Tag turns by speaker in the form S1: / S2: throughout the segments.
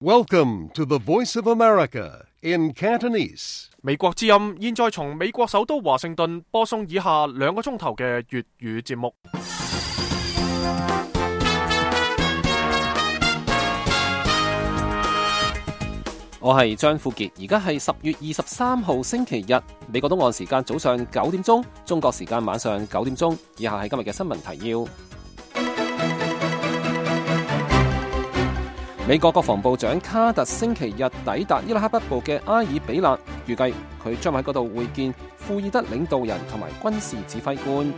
S1: Welcome to the Voice of America in Cantonese.
S2: 美國之音現在從美國首都華盛頓播送以下2個鐘頭嘅粵語節目。
S3: 我係張富傑，而家係10月23號星期日，美國東岸時間早上9點鐘，中國時間晚上9點鐘。以下係今日嘅新聞提要。美國國防部長卡特星期日抵達伊拉克北部嘅埃爾比勒，預計佢將喺嗰度會見庫爾德領導人同埋軍事指揮官。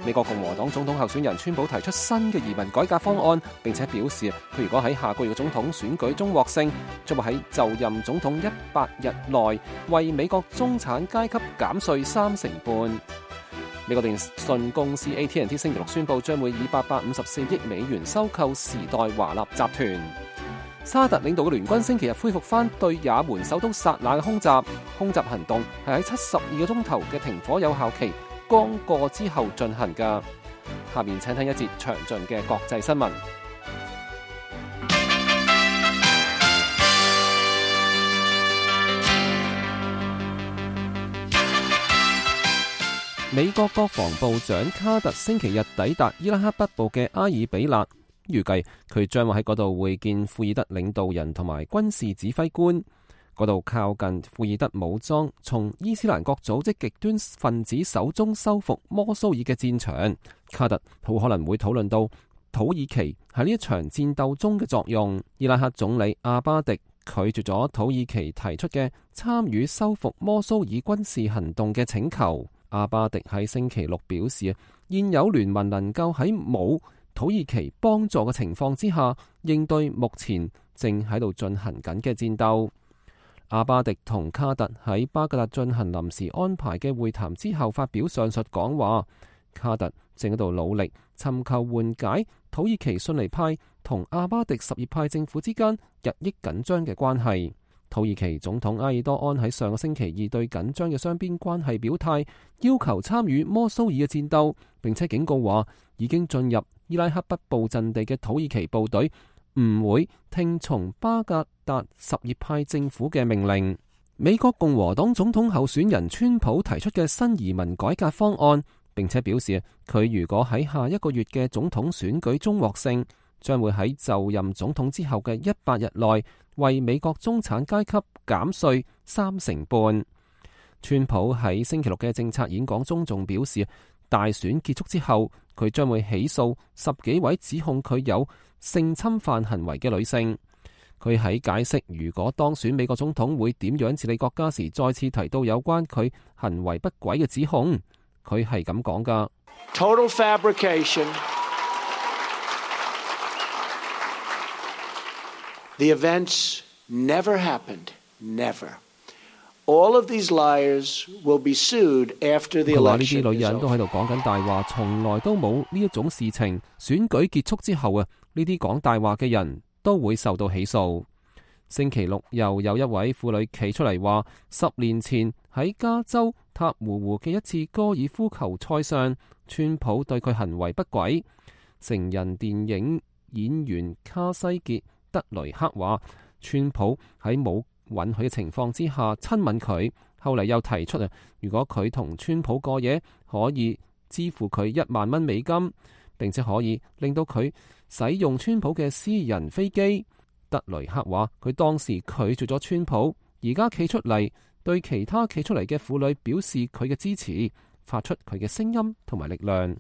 S3: 美國共和黨總統候選人川普提出新嘅移民改革方案，並且表示佢如果喺下個月嘅總統選舉中獲勝，將會喺就任總統100日內為美國中產階級減稅35%。美國電信公司 AT&T 星期六宣布將會以854億美元收購時代華納集團。沙特領導嘅聯軍星期日恢復翻對也門首都薩那嘅空襲行動係喺72個鐘頭嘅停火有效期剛過之後進行㗎。下面請聽一節詳盡嘅國際新聞。美國國防部長卡特星期日抵達伊拉克北部嘅埃爾比勒，預計佢將會喺嗰度會見庫爾德領導人同埋軍事指揮官。嗰度靠近庫爾德武裝從伊斯蘭國組織極端分子手中收復摩蘇爾嘅戰場。卡特好可能會討論到土耳其喺呢一場戰鬥中嘅作用。伊拉克總理阿巴迪拒絕咗土耳其提出嘅參與收復摩蘇爾軍事行動嘅請求。阿巴迪喺星期六表示，現有聯盟能夠喺冇土耳其幫助嘅情況之下，應對目前正喺度進行緊嘅戰鬥。阿巴迪同卡特喺巴格達進行臨時安排嘅會談之後發表上述講話。卡特正喺度努力尋求緩解土耳其遜尼派同阿巴迪什葉派政府之間日益緊張嘅關係。土耳其總統埃爾多安喺上個星期二對緊張嘅雙邊關係表態，要求參與摩蘇爾嘅戰鬥，並且警告話已經進入伊拉克北部陣地嘅土耳其部隊唔會聽從巴格達什葉派政府嘅命令。美國共和黨總統候選人川普提出嘅新移民改革方案，並且表示佢如果喺下一個月嘅總統選舉中獲勝，將會喺就任總統之後嘅100日內為美國中產階級減稅35%。川普喺星期六嘅政策演講中仲表示，大選結束之後，佢將會起訴10幾位指控佢有性侵犯行為嘅女性。佢喺解釋如果當選美國總統會點樣治理國家時，再次提到有關佢行為不軌嘅指控。佢係咁講㗎。
S4: Total fabrication. The events never happened. Never. All of these liars will be sued after the election. 佢話呢啲女人都喺度講緊大話，從來都冇呢一種事情。選舉結束之後啊，呢啲講大話嘅人都會受到起訴。星期六又有一位婦女企出嚟話，10年前喺加州塔胡湖嘅一次高爾夫球賽上，川普對佢行為不軌。成人電影演員卡西傑德雷克話，川普喺冇允許嘅情況之下親吻佢。後嚟又提出如果佢同川普過夜，可以支付佢1萬蚊美金，並且可以令到佢使用川普嘅私人飛機。德雷克話佢當時拒絕咗川普，而家企出嚟對其他企出嚟嘅婦女表示佢嘅支持，發出佢嘅聲音同埋力量。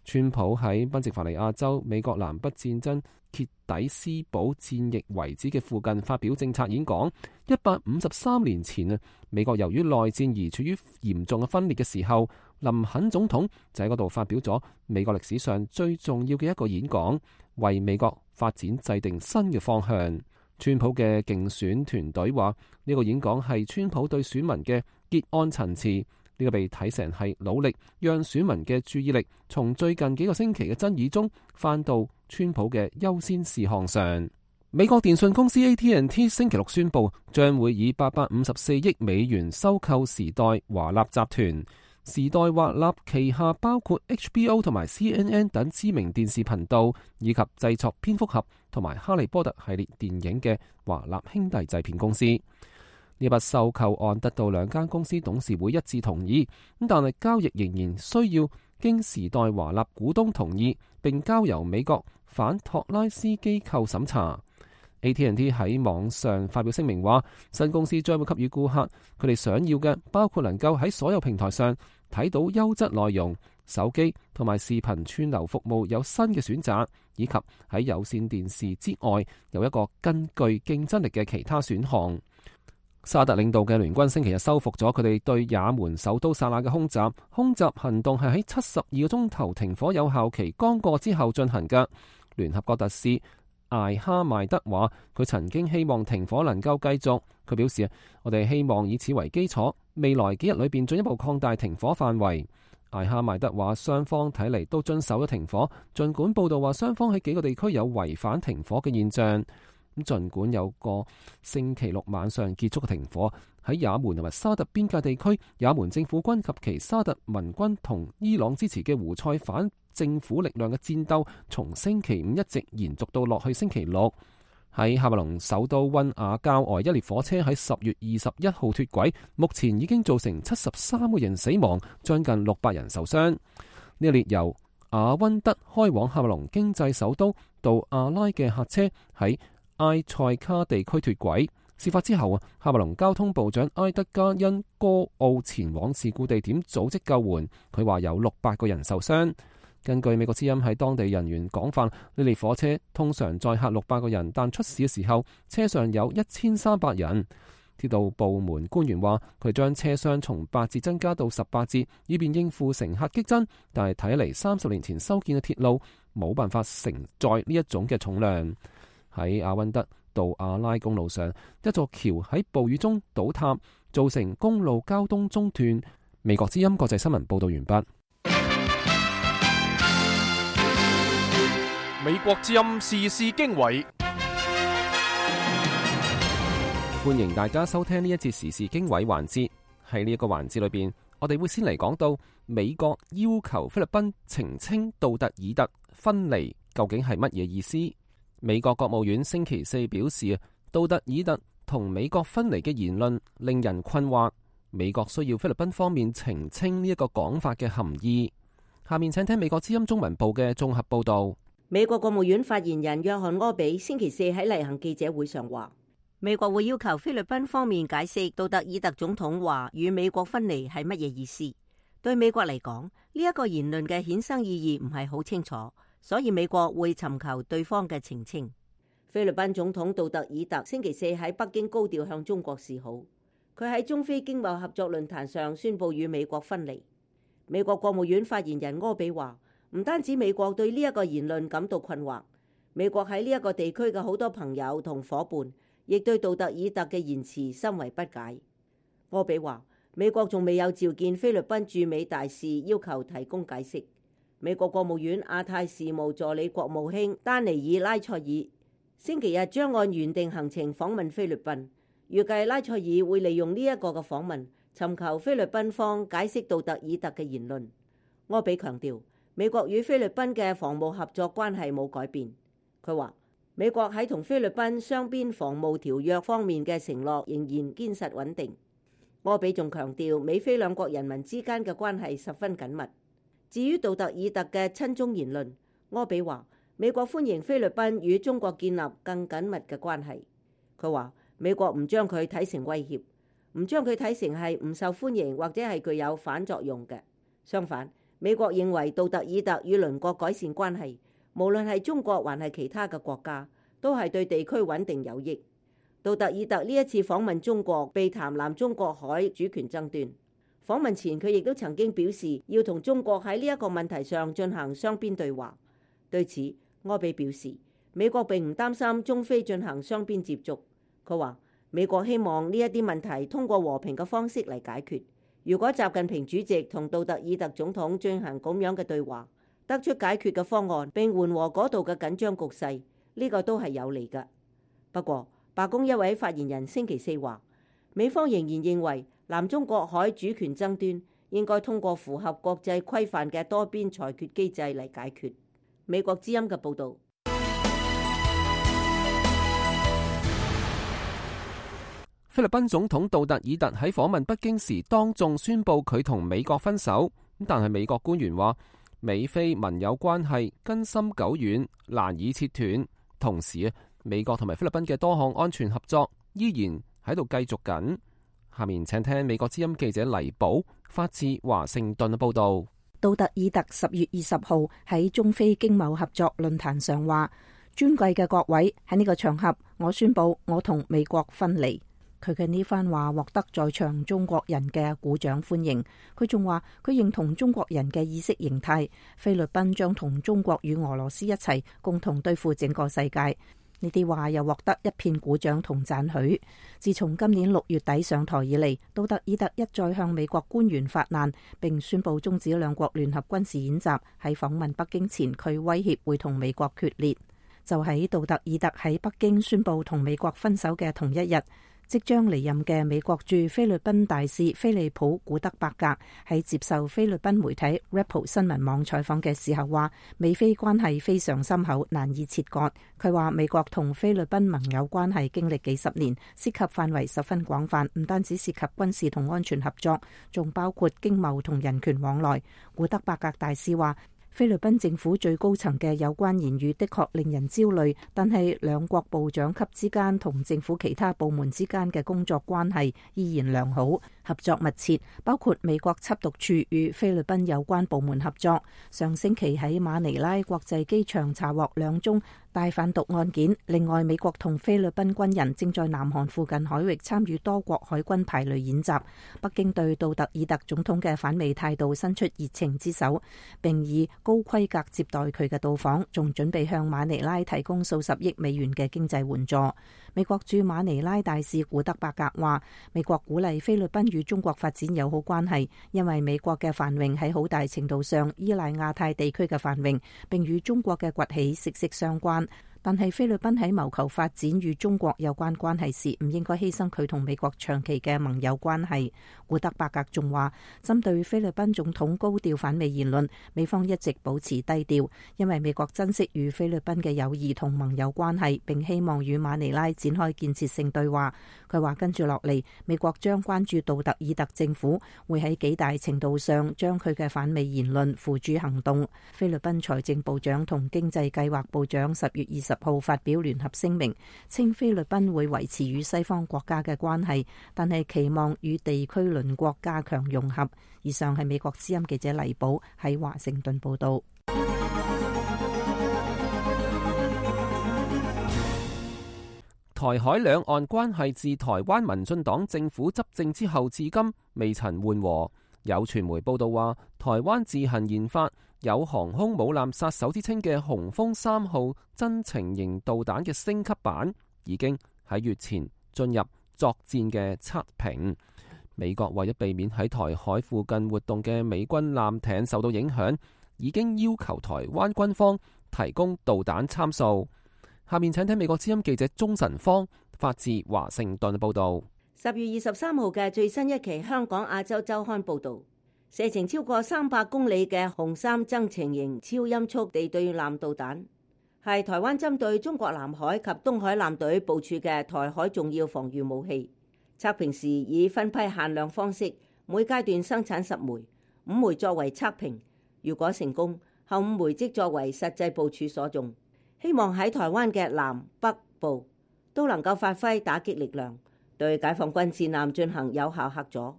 S4: 川普喺賓夕法尼亞州美國南北戰爭傑底斯堡戰役遺址嘅附近發表政策演講。153年前美國由於內戰而處於嚴重嘅分裂嘅時候，林肯總統就喺嗰度發表咗美國歷史上最重要嘅一個演講，為美國發展制定新嘅方向。川普嘅競選團隊話呢個演講係川普對選民嘅結案陳詞。呢個被睇成係努力讓選民嘅注意力從最近幾個星期嘅爭議中翻到川普嘅優先事項上。美國電信公司 AT&T 星期六宣布將會以854億美元收購時代華納集團。
S3: 時代華納旗下包括 HBO 同埋 CNN 等知名電視頻道，以及製作蝙蝠俠同埋哈利波特系列電影嘅華納兄弟製片公司。呢筆收購案得到兩間公司董事會一致同意，但係交易仍然需要經時代華納股東同意，並交由美國反托拉斯機構審查。AT&T 喺網上發表聲明話，新公司將會給予顧客佢哋想要嘅，包括能夠喺所有平台上睇到優質內容、手機同埋視頻串流服務有新嘅選擇，以及喺有線電視之外有一個更具競爭力嘅其他選項。沙特領導嘅聯軍星期日收復咗佢哋對也門首都薩那嘅空襲，空襲行動係喺72個鐘頭停火有效期剛過之後進行嘅。聯合國特使艾哈邁德話，佢曾經希望停火能夠繼續。佢表示，我哋希望以此為基礎，未來幾日裏邊進一步擴大停火範圍。艾哈邁德話，雙方睇嚟都遵守咗停火，儘管報道話雙方喺幾個地區有違反停火嘅現象。咁儘管有個星期六晚上結束嘅停火，喺也門同埋沙特邊界地區，也門政府軍及其沙特民軍同伊朗支持嘅胡塞反政府力量嘅戰鬥，從星期五一直延續到落去星期六。喺喀麥隆首都溫雅郊外，一列火車喺10月21號脫軌，目前已經造成73個人死亡，將近600人受傷。呢一列由阿溫德開往喀麥隆經濟首都杜阿拉嘅客車喺埃塞卡地區脫軌。事發之後啊，喀麥隆交通部長埃德加恩哥奧前往事故地點組織救援，佢話有600個人受傷。根據美國之音喺當地人員講法，呢列火車通常載客600個人，但出事嘅時候車上有1300人。鐵道部門官員話，佢將車廂從8節增加到18節，以便應付乘客激增。但係睇嚟30年前修建嘅鐵路冇辦法承載呢一種嘅重量。喺阿溫德杜阿拉公路上，一座橋喺暴雨中倒塌，造成公路交通中斷。美國之音國際新聞報道完畢。
S2: 美國之音時事經緯，
S3: 歡迎大家收聽呢一節時事經緯環節。喺呢一個環節裏邊，我哋會先嚟講到美國要求菲律賓澄清杜特爾特分離究竟係乜嘢意思。美國國務院星期四表示，杜特爾特同美國分離嘅言論令人困惑，美國需要菲律賓方面澄清呢一個講法嘅含義。下面請聽美國之音中文部嘅綜合報道。
S5: 美國國務院發言人約翰柯比星期四喺例行記者會上話，美國會要求菲律賓方面解釋杜特爾特總統話與美國分離係乜嘢意思。對美國嚟講，呢一個言論嘅衍生意義唔係好清楚，所以美國會尋求對方嘅澄清。菲律賓總統杜特爾特星期四喺北京高調向中國示好，佢喺中菲經貿合作論壇上宣布與美國分離。美國國務院發言人柯比話，唔單止美國對呢一個言論感到困惑，美國喺呢一個地區嘅好多朋友同伙伴，亦對杜特爾特嘅言辭深為不解。柯比話，美國仲未有召見菲律賓駐美大使，要求提供解釋。美國國務院亞太事務助理國務卿丹尼爾拉塞爾星期日將按原定行程訪問菲律賓，預計拉塞爾會利用呢一個嘅訪問，尋求菲律賓方解釋杜特爾特嘅言論。柯比強調，美國與菲律賓嘅防務合作關係冇改變。佢話，美國喺同菲律賓雙邊防務條約方面嘅承諾仍然堅實穩定。柯比仲強調，美菲兩國人民之間嘅關係十分緊密。至於杜特爾特嘅親中言論，柯比話，美國歡迎菲律賓與中國建立更緊密嘅關係。佢話，美國唔將佢睇成威脅，唔將佢睇成係唔受歡迎或者係具有反作用嘅。相反，美國認為杜特爾特與鄰國改善關係，無論係中國還係其他嘅國家，都係對地區穩定有益。杜特爾特呢一次訪問中國，避談南中國海主權爭端。訪問前，佢亦都曾經表示要同中國喺呢一個問題上進行雙邊對話。對此，柯比表示，美國並唔擔心中菲進行雙邊接觸。佢話，美國希望呢一啲問題通過和平嘅方式嚟解決。如果習近平主席同杜特爾特總統進行咁樣嘅對話，得出解決嘅方案並緩和嗰度嘅緊張局勢，呢個都係有利嘅。不過，白宮一位發言人星期四話，美方仍然認為南中國海主權爭端應該通過符合國際規範嘅多邊裁決機制嚟解決。美國之音嘅報導。
S3: 菲律賓總統杜特爾特喺訪問北京時當眾宣布佢同美國分手，但係美國官員話美菲盟友關係根深久遠，難以切斷。同時美國同埋菲律賓嘅多項安全合作依然喺度繼續緊。下面請聽美國之音記者黎寶發自華盛頓嘅報道。
S6: 杜特爾特10月20號喺中菲經貿合作論壇上話：尊貴嘅各位，喺呢個場合，我宣布我同美國分離。佢嘅呢番話獲得在場中國人嘅鼓掌歡迎。佢仲話佢認同中國人嘅意識形態，菲律賓將同中國與俄羅斯一齊共同對付整個世界。呢啲話又獲得一片鼓掌同讚許。自從今年6月底上台以嚟，杜特爾特一再向美國官員發難，並宣布終止兩國聯合軍事演習。喺訪問北京前，佢威脅會同美國決裂。就喺杜特爾特喺北京宣布同美國分手嘅同一日，即將離任嘅美國駐菲律賓大使菲利普古德伯格喺接受菲律賓媒體 Rappel 新聞網採訪嘅時候話，美菲關係非常深厚，難以切割。佢話美國同菲律賓盟友關係經歷幾十年，涉及範圍十分廣泛，唔單止涉及軍事同安全合作，仲包括經貿同人權往來。古德伯格大使話，菲律賓政府最高層嘅有關言語的確令人焦慮，但係兩國部長級之間同政府其他部門之間嘅工作關係依然良好，合作密切，包括美國緝毒處與菲律賓有關部門合作。上星期喺馬尼拉國際機場查獲2宗大販毒案件。另外，美國同菲律賓軍人正在南韓附近海域參與多國海軍排雷演習。北京對杜特爾特總統嘅反美態度伸出熱情之手，並以高規格接待佢嘅到訪，仲準備向馬尼拉提供數十億美元嘅經濟援助。美國駐馬尼拉大使古德伯格話，美國鼓勵菲律賓與中國發展友好關係，因為美國嘅繁榮喺好大程度上依賴亞太地區嘅繁榮，並與中國嘅崛起息息相關。但係菲律賓喺謀求發展與中國有關關係時，唔應該犧牲佢同美國長期嘅盟友關係。古德伯格仲話，針對菲律賓總統高調反美言論，美方一直保持低調，因為美國珍惜與菲律賓嘅友誼同盟友關係，並希望與馬尼拉展開建設性對話。佢話跟住落嚟，美國將關注杜特爾特政府會喺幾大程度上將佢嘅反美言論付諸行動。菲律賓財政部長同經濟計劃部長10月20號發表聯合聲明，稱菲律賓會維持與西方國家嘅關係，但係期望與地區鄰國加強融合。以上係美國之音記者黎寶喺華盛頓報道。
S3: 台海兩岸關係自台灣民進黨政府執政之後至今未曾緩和。有傳媒報道話，台灣自行研發有航空母艦殺手之稱嘅雄風3號增程型導彈嘅升級版，已經喺月前進入作戰嘅測評。美國為咗避免喺台海附近活動嘅美軍艦艇受到影響，已經要求台灣軍方提供導彈參數。下面請聽美國之音記者鍾晨芳發自華盛頓報道。
S5: 10月23號嘅最新一期香港亞洲週刊報道，射程超過300公里嘅雄3增程型超音速地對艦導彈，係台灣針對中國南海及東海艦隊部署嘅台海重要防禦武器。測評時以分批限量方式，每階段生產10枚，5枚作為測評。如果成功，後5枚即作為實際部署所用，希望喺台灣嘅南北部都能夠發揮打擊力量，對解放軍戰艦進行有效嚇阻。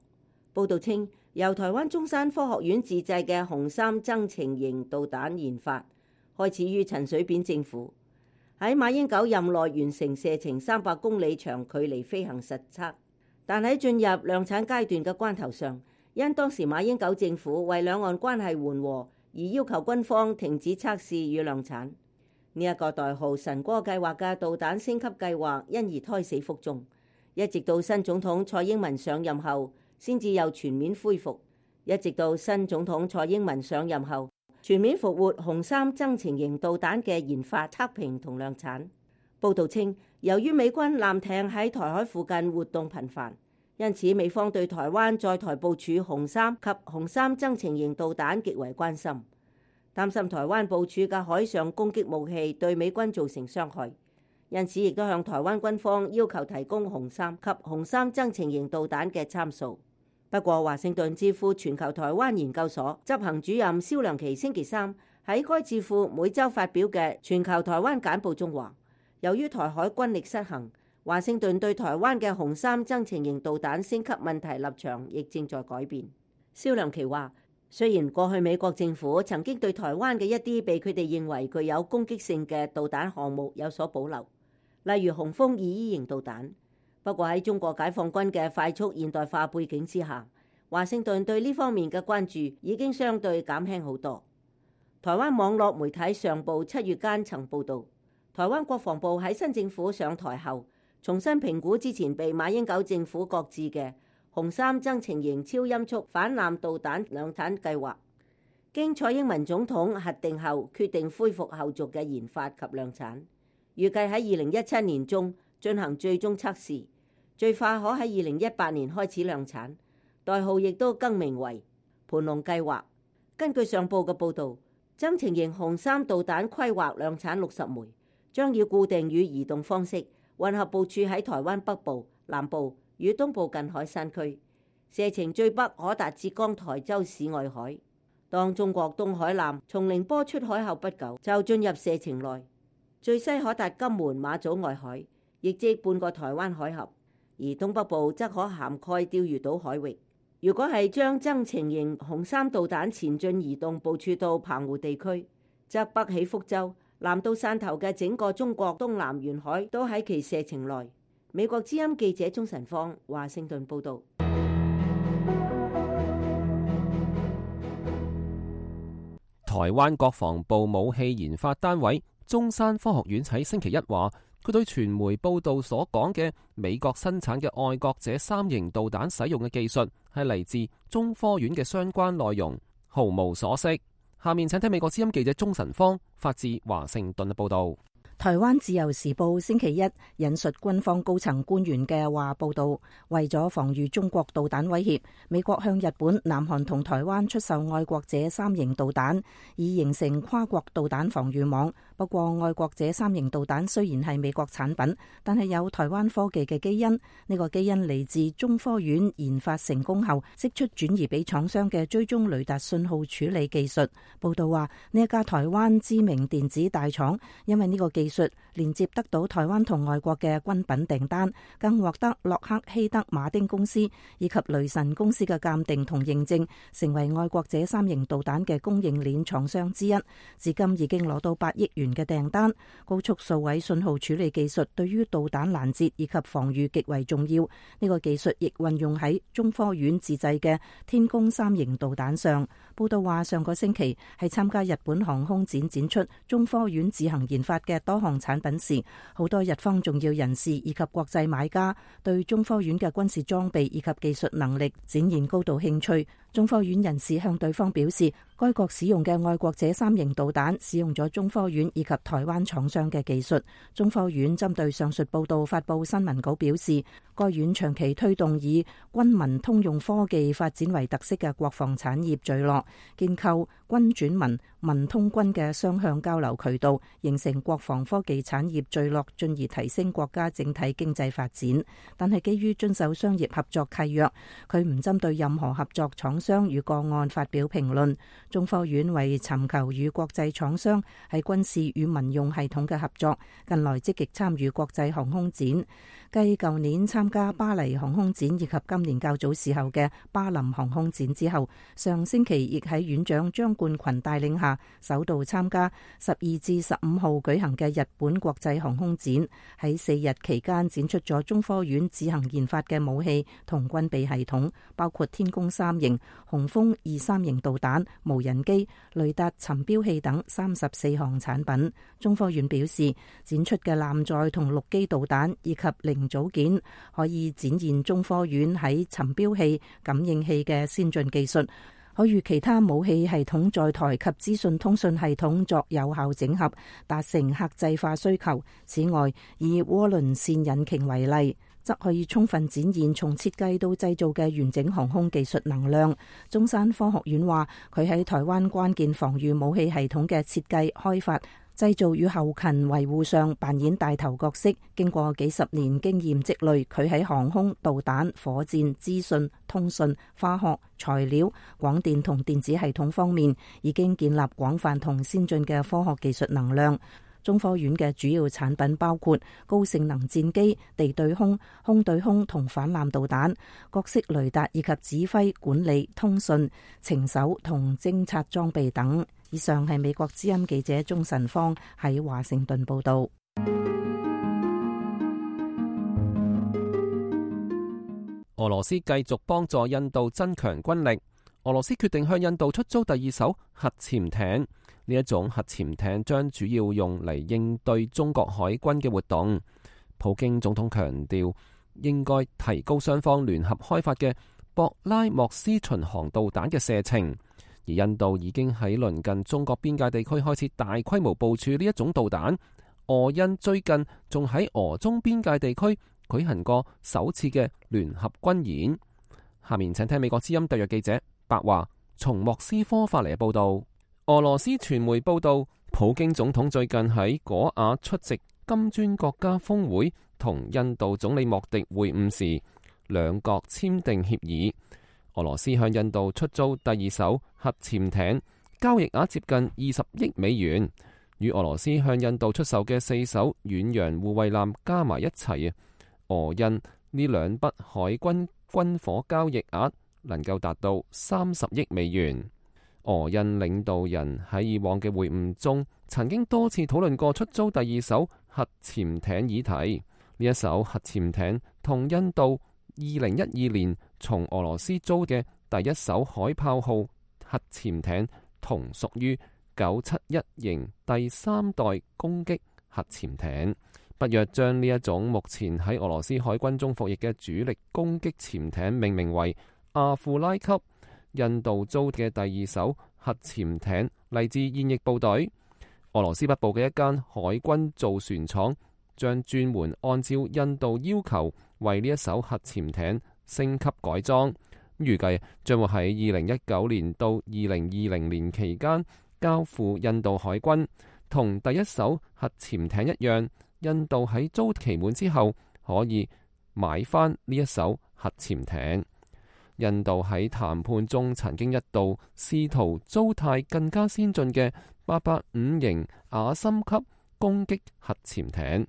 S5: 報道稱，由台灣中山科學院自製嘅雄3增程型導彈研發，開始於陳水扁政府，喺馬英九任內完成射程300公里長距離飛行實測，但喺進入量產階段嘅關頭上，因當時馬英九政府為兩岸關係緩和而要求軍方停止測試與量產。呢一個代號神歌計劃嘅導彈升級計劃因而胎死腹中，一直到新總統蔡英文上任後先至又全面恢復。一直到新總統蔡英文上任後，全面復活雄3增程型導彈嘅研發、測評同量產。報道稱，由於美軍艦艇喺台海附近活動頻繁，因此美方對台灣在台部署紅三及紅三增程型導彈極為關心，擔心台灣部署嘅海上攻擊武器對美軍造成傷害，因此亦都向台灣軍方要求提供紅三及紅三增程型導彈嘅參數。不過，華盛頓智庫全球台灣研究所執行主任蕭良琪星期三喺該智庫每週發表嘅全球台灣簡報中話，由於台海軍力失衡，華盛頓對台灣嘅紅三增程型導彈升級問題立場亦正在改變。蕭良琪話，雖然過去美國政府曾經對台灣嘅一啲被佢哋認為具有攻擊性嘅導彈項目有所保留，例如雄風2E型導彈，不過喺中國解放軍嘅快速現代化背景之下，華盛頓對呢方面嘅關注已經相對減輕好多。台灣網絡媒體上報7月間曾報導，台灣國防部喺新政府上台後，重新評估之前被馬英九政府擱置嘅紅三增程型超音速反艦導彈量產計劃，經蔡英文總統核定後，決定恢復後續嘅研發及量產，預計喺2017年中進行最終測試，最快可喺2018年開始量產，代號亦都更名為盤龍計劃。根據上報嘅報導，增程型紅三導彈規劃量產60枚，將以固定與移動方式混合部署喺台灣北部、南部與東部近海山區，射程最北可達浙江台州市外海。當中國東海艦從寧波出海後不久，就進入射程內，最西可達金門、馬祖外海，亦即半個台灣海峽，而東北部則可涵蓋釣魚島海域。如果係將增程型紅三導彈前進移動部署到澎湖地區，則北起福州，南到汕頭嘅整個中國東南沿海都喺其射程內。美國之音記者鍾晨芳華盛頓報道。
S3: 台灣國防部武器研發單位中山科學院喺星期一話，佢對傳媒報道所講嘅美國生產嘅愛國者3型導彈使用嘅技術係嚟自中科院嘅相關內容，毫無所識。下面請聽美國之音記者鍾晨芳發自華盛頓嘅報道。
S6: 台灣自由時報星期一引述軍方高層官員嘅話報道，為咗防禦中國導彈威脅，美國向日本、南韓同台灣出售愛國者3型導彈，以形成跨國導彈防禦網。不過，愛國者3型導彈雖然係美國產品，但係有台灣科技嘅基因。呢個基因嚟自中科院研發成功後，釋出轉移俾廠商嘅追蹤雷達信號處理技術。報道話，呢一家台灣知名電子大廠，因為呢個技術連接得到台灣同外國嘅軍品訂單，更獲得洛克希德馬丁公司以及雷神公司嘅鑑定同認證，成為愛國者3型導彈嘅供應鏈廠商之一。至今已經攞到8億元嘅訂單。高速數位信號處理技術對於導彈攔截以及防禦極為重要。呢個技術亦運用喺中科院自製嘅天宮3型導彈上。報道話，上個星期喺參加日本航空展展出中科院自行研發嘅多項產品時，好多日方重要人士以及國際買家對中科院嘅軍事裝備以及技術能力展現高度興趣。中科院人士向對方表示，該國使用嘅愛國者3型導彈使用咗中科院以及台灣廠商嘅技術。中科院針對上述報道發布新聞稿表示，該院長期推動以軍民通用科技發展為特色嘅國防產業聚落，建構軍轉民、民通軍嘅雙向交流渠道，形成國防科技產業聚落，進而提升國家整體經濟發展。但係基於遵守商業合作契約，佢唔針對任何合作廠商與個案發表評論。中科院為尋求與國際廠商喺軍事與民用系統嘅合作，近來積極參與國際航空展。繼舊年參加巴黎航空展以及今年較早時候嘅巴林航空展之後，上星期亦喺院長張冠群帶領下，首度參加12至15號舉行嘅日本國際航空展。喺4日期間展出咗中科院自行研發嘅武器同軍備系統，包括天宮3型、雄風2-3型導彈、無人機、雷達尋標器等34項產品。中科院表示，展出嘅艦載同陸基導彈以及零組件可以展現中科院喺尋標器、感應器嘅先進技術，可與其他武器系統載台及資訊通訊系統作有效整合，達成客製化需求。此外，以渦輪線引擎為例，則可以充分展現從設計到製造嘅完整航空技術能量。中山科學院話，佢喺台灣關鍵防禦武器系統嘅設計、開發、製造與後勤維護上扮演帶頭角色。經過幾十年經驗積累，佢喺航空、導彈、火箭、資訊、通訊、化學、材料、廣電同電子系統方面，已經建立廣泛同先進嘅科學技術能量。中科院嘅主要產品包括高性能戰機、地對空、空對空同反艦導彈、各式雷達以及指揮、管理、通訊、情搜同偵察裝備等。以上係美國之音記者鍾晨芳喺華盛頓報道。
S3: 俄羅斯繼續幫助印度增強軍力。俄羅斯決定向印度出租第2艘核潛艇。呢一種核潛艇將主要用嚟應對中國海軍嘅活動。普京總統強調，應該提高雙方聯合開發嘅博拉莫斯巡航導彈嘅射程。而印度已經喺鄰近中國邊界地區開始大規模部署呢一種導彈。俄印最近仲喺俄中邊界地區舉行過首次嘅聯合軍演。下面請聽美國之音特約記者白華從莫斯科發嚟嘅報道。俄羅斯傳媒報道，普京總統最近喺果瓦出席金磚國家峰會同印度總理莫迪會晤時，兩國簽訂協議。俄羅斯向印度出租第2艘核潛艇，交易額接近20億美元，與俄羅斯向印度出售嘅4艘遠洋護衛艦加埋一齊，俄印呢兩筆海軍軍火交易額能夠達到30億美元。俄印領導人喺以往嘅會晤中，曾經多次討論過出租第2艘核潛艇議題。呢一艘核潛艇同印度2012年從俄羅斯租嘅第1艘海豹號核潛艇同屬於971型第3代攻擊核潛艇。北約將呢一種目前喺俄羅斯海軍中服役嘅主力攻擊潛艇命名為阿庫拉級。印度租嘅第2艘核潛艇嚟自現役部隊。俄羅斯北部嘅一間海軍造船廠將專門按照印度要求為呢一艘核潛艇升級改裝，預計將會喺2019年到2020年期間交付印度海軍。同第1艘核潛艇一樣，印度喺租期滿之後可以買翻呢一艘核潛艇。印度喺談判中曾經一度試圖租貸更加先進嘅885型亞森級攻擊核潛艇，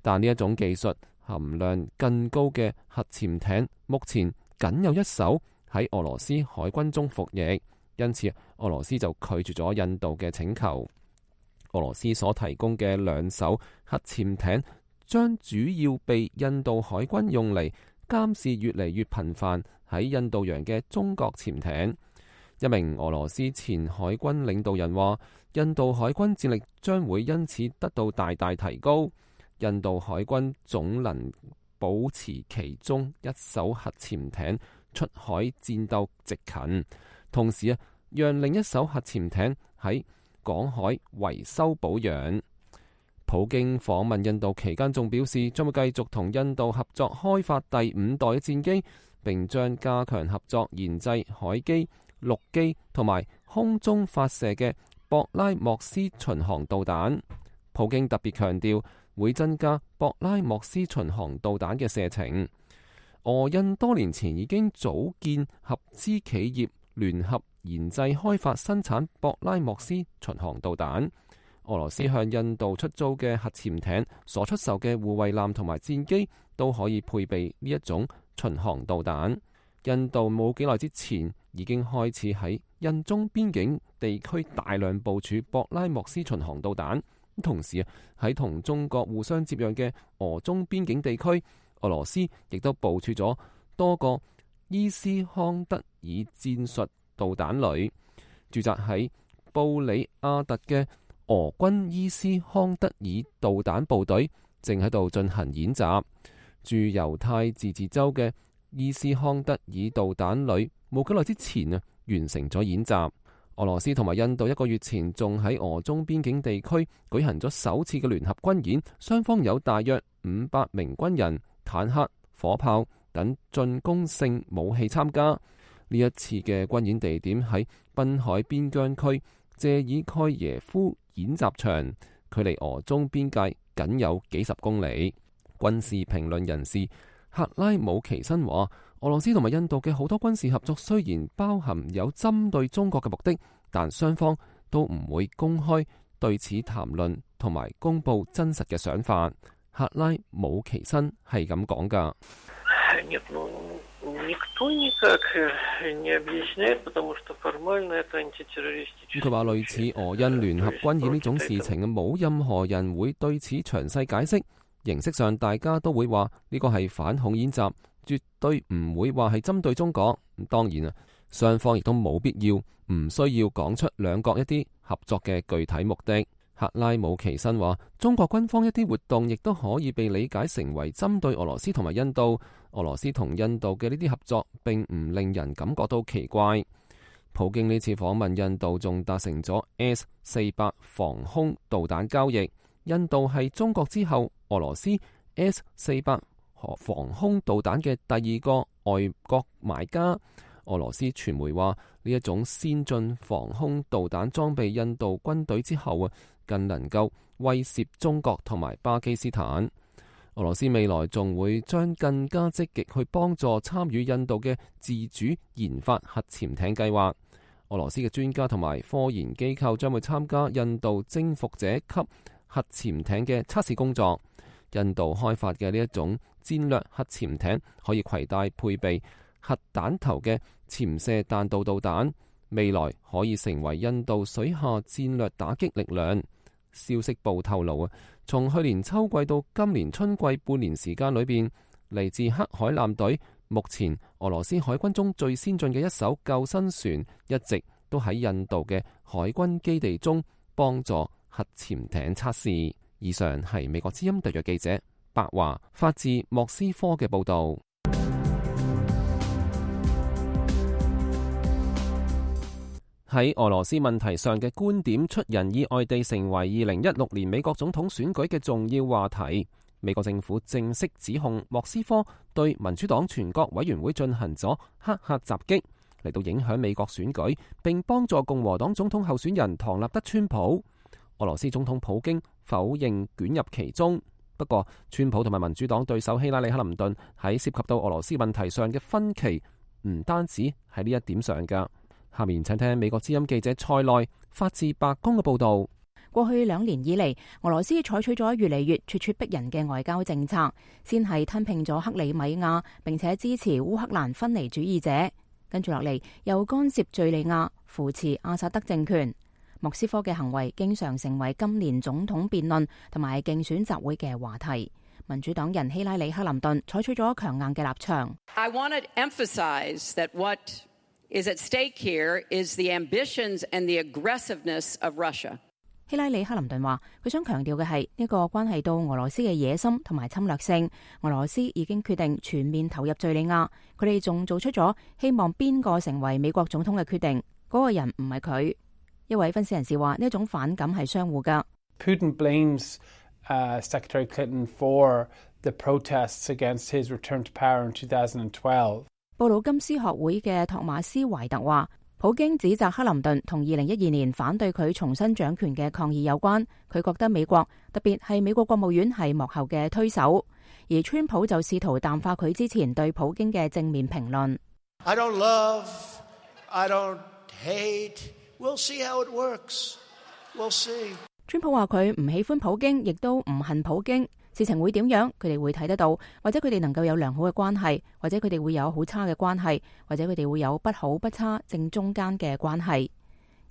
S3: 但呢一種技術含量更高嘅核潛艇目前僅有1艘喺俄羅斯海軍中服役，因此俄羅斯就拒絕咗印度嘅請求。俄羅斯所提供嘅2艘核潛艇將主要被印度海軍用嚟監視越嚟越頻繁喺印度洋嘅中國潛艇。一名俄羅斯前海軍領導人話，印度海軍戰力將會因此得到大大提高。印度海軍總能保持其中1艘核潛艇出海戰鬥值勤，同時讓另1艘核潛艇喺港海維修保養。普京訪問印度期間仲表示，將會繼續同印度合作開發第5代嘅戰機，並將加強合作研製海基、陸基同埋空中發射嘅博拉莫斯巡航導彈。普京特別強調會增加博拉莫斯巡航導彈嘅射程。俄印多年前已經組建合資企業，聯合研製開發生產博拉莫斯巡航導彈。俄羅斯向印度出租嘅核潛艇所出售嘅護衛艦同埋戰機都可以配備呢一種巡航導彈。印度冇幾耐之前已經開始喺印中邊境地區大量部署博拉莫斯巡航導彈，同時喺同中國互相接壤嘅俄中邊境地區，俄羅斯亦都部署咗多個伊斯康德爾戰術導彈旅。駐紮喺布里亞特嘅俄軍伊斯康德爾導彈部隊正喺度進行演習。駐猶太自治州嘅伊斯康德爾導彈旅冇幾耐之前完成咗演習。俄羅斯同埋印度1個月前仲喺俄中邊境地區舉行咗首次嘅聯合軍演，雙方有大約500名軍人、坦克、火炮等進攻性武器參加。呢一次嘅軍演地點喺濱海邊疆區謝爾蓋耶夫演習場，距離俄中邊界僅有幾十公里。軍事評論人士克拉姆奇申話，俄羅斯同埋印度嘅好多軍事合作雖然包含有針對中國嘅目的，但雙方都唔會公開對此談論同埋公布真實嘅想法。克拉姆奇申係咁講㗎。佢話類似俄印聯合軍演呢種事情，冇任何人會對此詳細解釋。形式上大家都會話呢個係反恐演習，絕對唔會話係針對中國。當然啊，雙方亦都冇必要唔需要講出兩國一啲合作嘅具體目的。克拉姆奇申話，中國軍方一啲活動亦都可以被理解成為針對俄羅斯同埋印度。俄羅斯同印度嘅呢啲合作並唔令人感覺到奇怪。普京呢次訪問印度仲達成咗 S-400 防空導彈交易。印度係中國之後俄羅斯 S-400 防空導彈嘅第二個外國買家。俄羅斯傳媒話，呢一種先進防空導彈裝備印度軍隊之後更能夠威懾中國同埋巴基斯坦。俄羅斯未來仲會將更加積極去幫助參與印度嘅自主研發核潛艇計劃。俄羅斯嘅專家同埋科研機構將會參加印度征服者級核潛艇嘅測試工作。印度開發嘅呢一種戰略核潛艇可以攜帶配備核彈頭嘅潛射彈道導彈，未來可以成為印度水下戰略打擊力量。消息報透露從去年秋季到今年春季半年時間裏邊，嚟自黑海艦隊，目前俄羅斯海軍中最先進嘅一艘救生船，一直都喺印度嘅海軍基地中幫助核潛艇測試。以上係美國之音特約記者白華發自莫斯科嘅報道。喺俄羅斯問題上嘅觀點出人意外地成為2016年美國總統選舉嘅重要話題。美國政府正式指控莫斯科對民主黨全國委員會進行咗黑客襲擊，嚟到影響美國選舉，並幫助共和黨總統候選人唐納德川普。俄羅斯總統普京否認捲入其中，不過川普同埋民主黨對手希拉里克林頓喺涉及到俄羅斯問題上嘅分歧唔單止喺呢一點上㗎。下面請聽美國之音記者蔡內發自白宮嘅報道。
S6: 過去2年以嚟，俄羅斯採取咗越嚟越咄咄逼人嘅外交政策，先係吞併咗克里米亞，並且支持烏克蘭分離主義者，跟住落嚟又干涉敘利亞，扶持阿薩德政權。莫斯科嘅行為經常成為今年總統辯論同埋競選集會嘅話題。民主黨人希拉里克林頓採取咗強硬嘅立場。
S7: I want to emphasize that what is at stake here is the ambitions and the aggressiveness of Russia.
S6: 希拉里克林頓話，佢想強調嘅係呢個關係到俄羅斯嘅野心同埋侵略性。俄羅斯已經決定全面投入敘利亞，佢哋仲做出咗希望邊個成為美國總統嘅決定，嗰個人唔係佢。一位分析人士話，呢一種反感係相互噶。
S8: Putin blames Secretary Clinton for the protests against his return to power in 2012.
S6: 布魯金斯學會嘅托馬斯懷特話，普京指責克林頓同2012年反對佢重新掌權嘅抗議有關。佢覺得美國，特別係美國國務院係幕後嘅推手，而川普就試圖淡化佢之前對普京嘅正面評論。
S9: I don't love, I don't hate.We'll see how it works. We'll see.
S6: 川普話佢唔喜歡普京，亦都唔恨普京。事情會點樣，佢哋會睇得到，或者佢哋能夠有良好嘅關係，或者佢哋會有好差嘅關係，或者佢哋會有不好不差正中間嘅關係。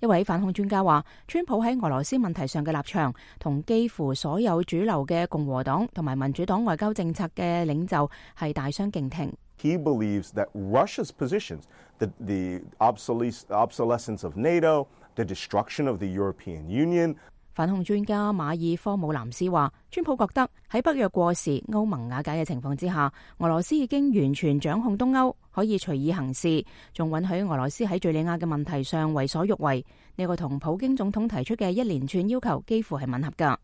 S6: 一位反恐專家話，川普喺俄羅斯問題上嘅立場同幾乎所有主流嘅共和黨同埋民主黨外交政策嘅領袖係大相徑庭。
S10: He believes that Russia's positions, the obsolescence of NATO, the destruction of the European Union.
S6: 反恐專家馬爾科姆南斯話，川普覺得喺北約過時、歐盟瓦解嘅情況之下，俄羅斯已經完全掌控東歐，可以隨意行事，仲允許俄羅斯喺敘利亞嘅問題上為所欲為。呢個同普京總統提出嘅一連串要求幾乎係吻合㗎。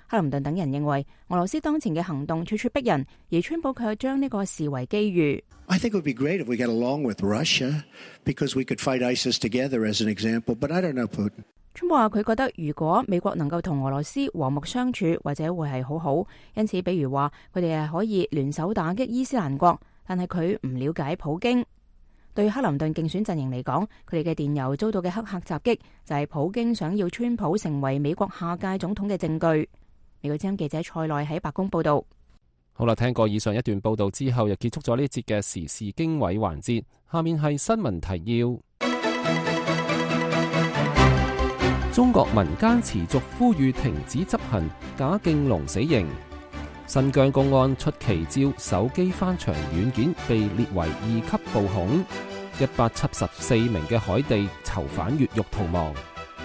S11: 克林頓等人認為俄羅斯當前嘅行動處處逼人，而川普卻將呢個視為機遇。
S9: I think it would be great if we get along with Russia because we could fight ISIS together as an example, but I don't know Putin.
S11: 川普話佢覺得如果美國能夠同俄羅斯和睦相處，或者會係好好。因此，比如話佢哋係可以聯手打擊伊斯蘭國，但係佢唔了解普京。對克林頓競選陣營嚟講，佢哋嘅電郵遭到嘅黑客襲擊就係普京想要川普成為美國下屆總統嘅證據。美國之音記者蔡內喺白宮報道。
S3: 好啦，聽過以上一段報道之後，又結束咗呢節嘅時事經緯環節。下面係新聞提要。中國民間持續呼籲停止執行賈敬龍死刑。新疆公安出奇招，手機翻牆軟件被列為2級暴恐。174名嘅海地囚犯越獄逃亡。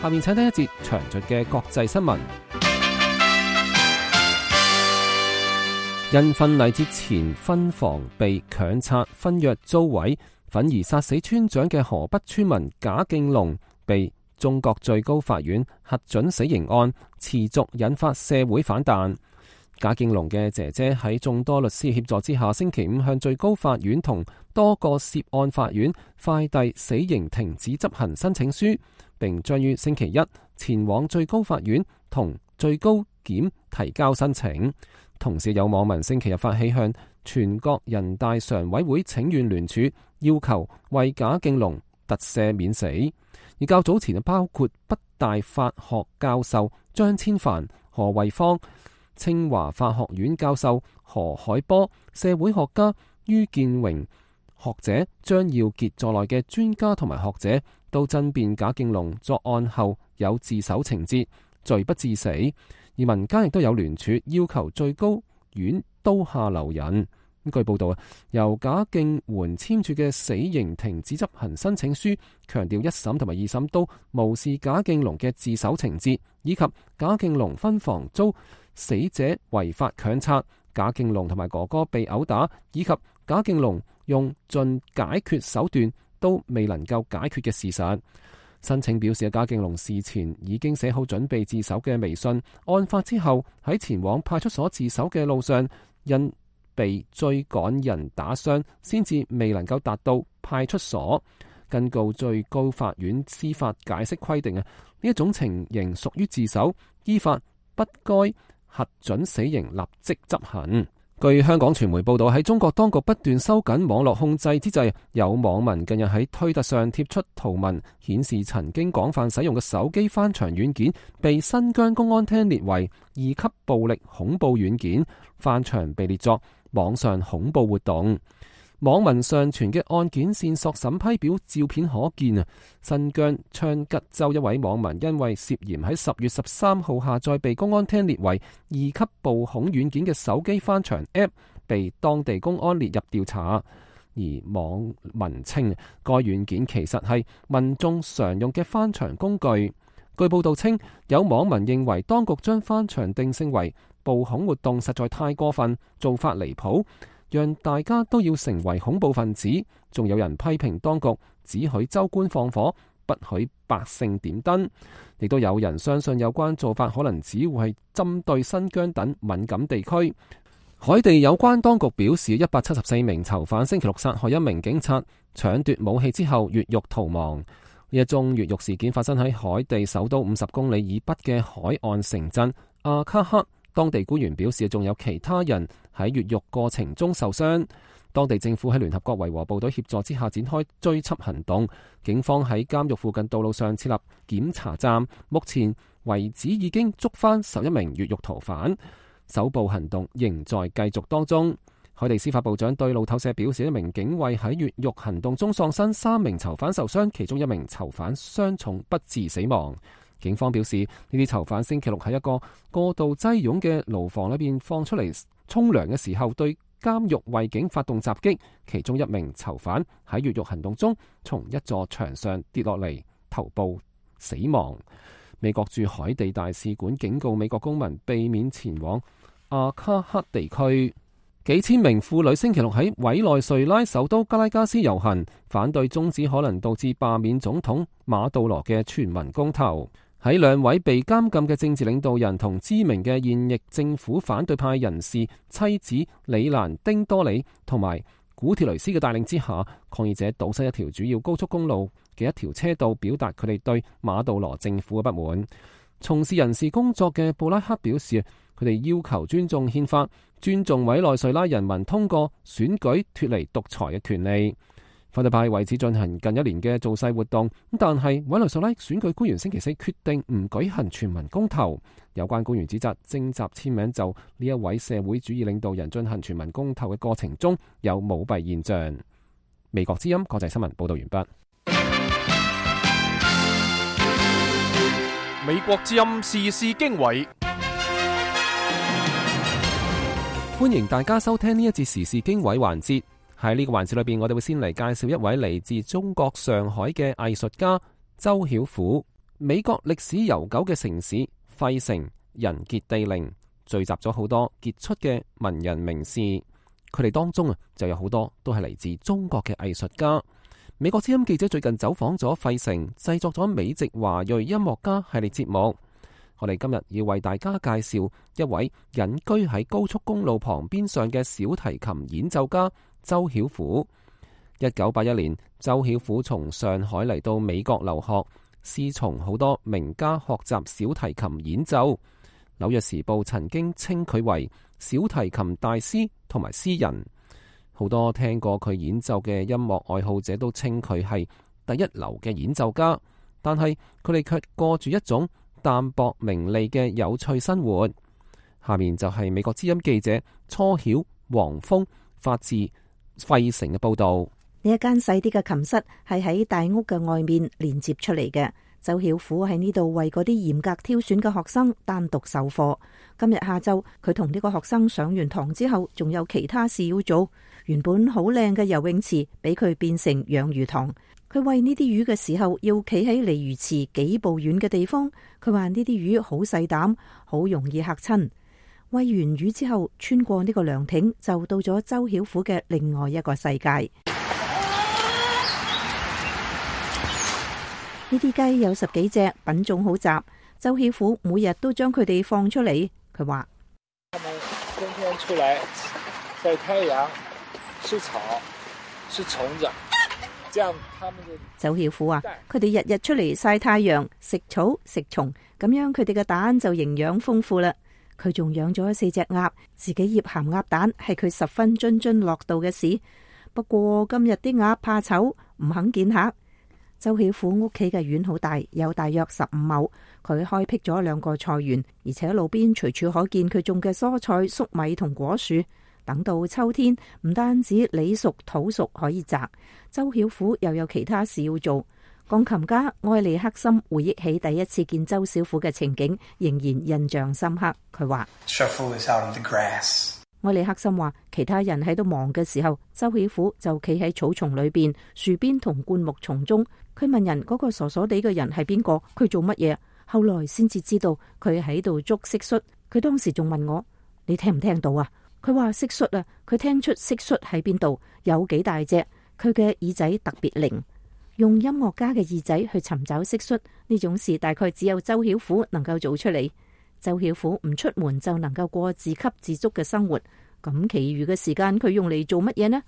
S3: 下面請聽一節詳盡嘅國際新聞。因婚禮之前婚房被強拆，婚約遭毀，憤而殺死村長嘅河北村民賈敬龍被中國最高法院核准死刑案，持續引發社會反彈。賈敬龍嘅姐姐喺眾多律師協助之下，星期五向最高法院同多個涉案法院快遞死刑停止執行申請書，並將於星期一前往最高法院同最高檢提交申請。同時有網民星期日發起向全國人大常委會請願聯署，要求為賈敬龍特赦免死。而較早前包括北大法學教授張千帆、何惠芳、清華法學院教授何海波、社會學家于建榮、學者張耀傑在內嘅專家同埋學者都爭辯賈敬龍作案後有自首情節，罪不至死。而民間亦都有聯署要求最高院刀下留人。據報道由賈敬媛簽署嘅死刑停止執行申請書，強調一審同埋二審都無視賈敬龍嘅自首情節，以及賈敬龍婚房遭死者違法強拆，賈敬龍同埋哥哥被毆打，以及賈敬龍用盡解決手段都未能夠解決嘅事實。申請表示，賈敬龍事前已經寫好準備自首嘅微信，案發之後喺前往派出所自首嘅路上，因被追趕人打傷，先至未能夠達到派出所。根據最高法院司法解釋規定呢一種情形屬於自首，依法不該核准死刑立即執行。據香港傳媒報道，喺中國當局不斷收緊網絡控制之際，有網民近日喺推特上貼出圖文，顯示曾經廣泛使用嘅手機翻牆軟件被新疆公安廳列為2級暴力恐怖軟件，翻牆被列作網上恐怖活動。網民上傳嘅案件線索審批表照片可見新疆昌吉州一位網民因為涉嫌喺10月13號下載被公安廳列為2級暴恐軟件嘅手機翻牆 App， 被當地公安列入調查。而網民稱該軟件其實係民眾常用嘅翻牆工具。據報道稱，有網民認為當局將翻牆定性為暴恐活動實在太過分，做法離譜，讓大家都要成為恐怖分子。仲有人批評當局只許州官放火，不許百姓點燈。亦都有人相信有關做法可能只會係針對新疆等敏感地區。海地有關當局表示，174名囚犯星期六殺害一名警察，搶奪武器之後越獄逃亡。呢一宗越獄事件發生喺海地首都50公里以北嘅海岸城鎮阿卡克。當地官員表示，仲有其他人喺越獄過程中受傷。當地政府喺聯合國維和部隊協助之下展開追緝行動，警方喺監獄附近道路上設立檢查站，目前為止已經捉返11名越獄逃犯，搜捕行動仍在繼續當中。海地司法部長對路透社表示，一名警衛喺越獄行動中喪生，3名囚犯受傷，其中1名囚犯傷重不治死亡。警方表示，呢啲囚犯星期六喺一個過度擠擁嘅牢房裏邊放出嚟沖涼嘅時候，對監獄衛警發動襲擊，其中1名囚犯喺越獄行動中從一座牆上跌落嚟，頭部死亡。美國駐海地大使館警告美國公民避免前往阿卡克地區。幾千名婦女星期六喺委內瑞拉首都加拉加斯遊行，反對終止可能導致罷免總統馬杜羅嘅全民公投。喺兩位被監禁嘅政治領導人同知名嘅現役政府反對派人士妻子里蘭丁多里同埋古鐵雷斯嘅帶領之下，抗議者堵塞一條主要高速公路嘅一條車道，表達佢哋對馬杜羅政府嘅不滿。從事人事工作嘅布拉克表示，佢哋要求尊重憲法，尊重委內瑞拉人民通過選舉脫離獨裁嘅權利。反對派為此進行近1年嘅造勢活動，但係委內瑞拉選舉官員星期4決定唔舉行全民公投。有關官員指責徵集簽名就呢一位社會主義領導人進行全民公投嘅過程中有舞弊現象。美國之音國際新聞報道完畢。
S2: 美國之音時事經緯，
S3: 歡迎大家收聽呢一節時事經緯環節。喺呢個環節裏邊，我哋會先嚟介紹一位嚟自中國上海嘅藝術家周曉虎。美國歷史悠久嘅城市費城人傑地靈，聚集咗好多傑出嘅文人名士，佢哋當中就有好多都係嚟自中國嘅藝術家。美國之音記者最近走訪咗費城，製作咗美籍華裔音樂家系列節目。我哋今日要為大家介紹一位隱居喺高速公路旁邊上嘅小提琴演奏家周曉虎。1981年，周曉虎從上海嚟到美國留學，師從好多名家學習小提琴演奏。紐約時報曾經稱佢為小提琴大師同埋詩人。好多聽過佢演奏嘅音樂愛好者都稱佢係第一流嘅演奏家，但係佢哋卻過住一種淡薄名利嘅有趣生活。下面就係美國之音記者初曉、黃峰發自費城嘅報道。
S6: 呢一間細啲嘅琴室係喺大屋嘅外面連接出嚟嘅。周曉虎喺呢度為嗰啲嚴格挑選嘅學生單獨授課。今日下晝佢同呢個學生上完堂之後，仲有其他事要做。原本好靚嘅游泳池俾佢變成養魚塘。佢餵呢啲魚嘅時候，要企喺離魚池幾步遠嘅地方。佢話呢啲魚好細膽，好容易嚇親。餵完魚之後，穿過呢個涼亭，就到咗周曉虎嘅另外一個世界。呢啲雞有10幾隻，品種好雜。周曉虎每日都將佢哋放出嚟。佢話：
S12: 他們天天出來曬太陽、吃草、吃蟲子，這樣他們就。
S6: 周曉虎話：佢哋日日出嚟曬太陽、食草、食蟲，咁樣佢哋嘅蛋就營養豐富啦。佢仲養咗4隻鴨，自己醃鹹鴨蛋係佢十分津津樂道嘅事。不過今日啲鴨怕醜，唔肯見客。周曉虎屋企嘅院好大，有大約15畝。佢開闢咗2個菜園，而且路邊隨處可見佢種嘅蔬菜、粟米同果樹。等到秋天，唔單止李熟土熟可以摘，周曉虎又有其他事要做。鋼琴家埃利克森回憶起第一次見周曉虎嘅情景，仍然印象深刻。佢話：埃利克森話，其他人喺度忙嘅時候，周曉虎就企喺草叢裏邊、樹邊同灌木叢中。佢問人嗰個傻傻地嘅人係邊個？佢做乜嘢？後來先至知道佢喺度捉蟋蟀。佢當時仲問我：你聽唔聽到啊？佢話蟋蟀啊，佢聽出蟋蟀喺邊度，有幾大隻。佢嘅耳仔特別靈，用音樂家嘅耳仔去尋找蟋蟀呢種事，大概只有周曉虎能夠做出嚟。周曉虎唔出門就能夠過自給自足嘅生活，咁其餘嘅時間佢用嚟做乜嘢呢？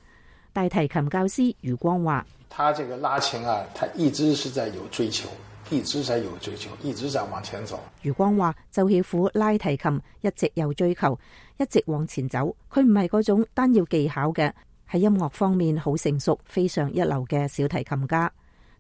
S6: 大提琴教師余光話：
S12: 他這個拉琴啊，他一直是在有追求，一直在有追求，一直在往前走。
S6: 余光話：周曉虎拉提琴一直有追求，一直往前走。佢唔係嗰種單要技巧嘅，喺音樂方面好成熟、非常一流嘅小提琴家。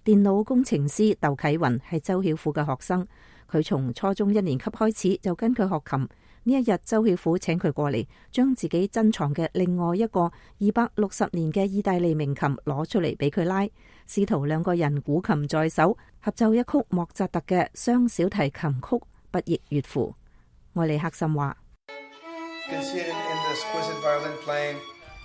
S6: 電腦工程師竇啟雲係周曉虎嘅學生，佢從初中1年級開始就跟佢學琴。呢一日，周曉虎請佢過嚟，將自己珍藏嘅另外一個260年嘅意大利名琴攞出嚟俾佢拉，試圖2個人古琴在手，合奏一曲莫扎特嘅雙小提琴曲《不亦樂乎》。埃利克森話：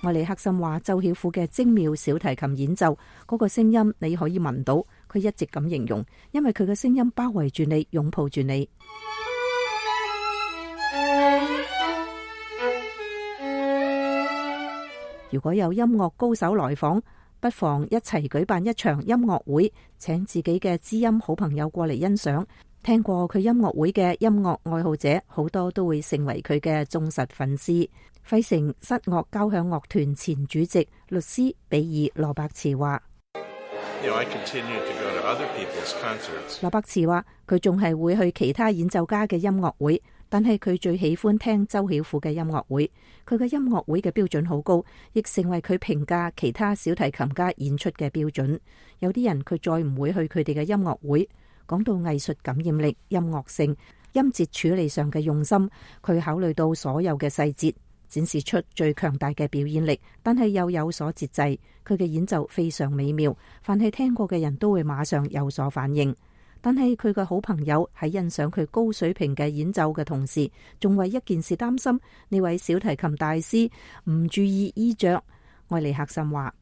S6: 埃利克森話，周曉虎嘅精妙小提琴演奏，嗰個聲音你可以聞到，佢一直咁形容，因為佢嘅聲音包圍住你，擁抱住你。如果有音樂高手來訪，不妨一齊舉辦一場音樂會，請自己嘅知音好朋友過嚟欣賞，聽過佢音樂會嘅音樂愛好者好多都會成為佢嘅忠實粉絲。費城室樂交響樂團前主席律師比爾羅伯茨話：羅伯茨話佢仲係會去其他演奏家嘅音樂會，但係佢最喜歡聽周曉虎嘅音樂會。佢嘅音樂會嘅標準好高，亦成為佢評價其他小提琴家演出嘅標準。有啲人佢再唔會去佢哋嘅音樂會。講到藝術感染力、音樂性、音節處理上嘅用心，佢考慮到所有嘅細節，展示出最強大嘅表演力，但係又有所節制。佢嘅演奏非常美妙，凡係聽過嘅人都會馬上有所反應。但係佢嘅好朋友喺欣賞佢高水平嘅演奏嘅同時，仲為一件事擔心：呢位小提琴大師唔注意衣着。愛尼克森話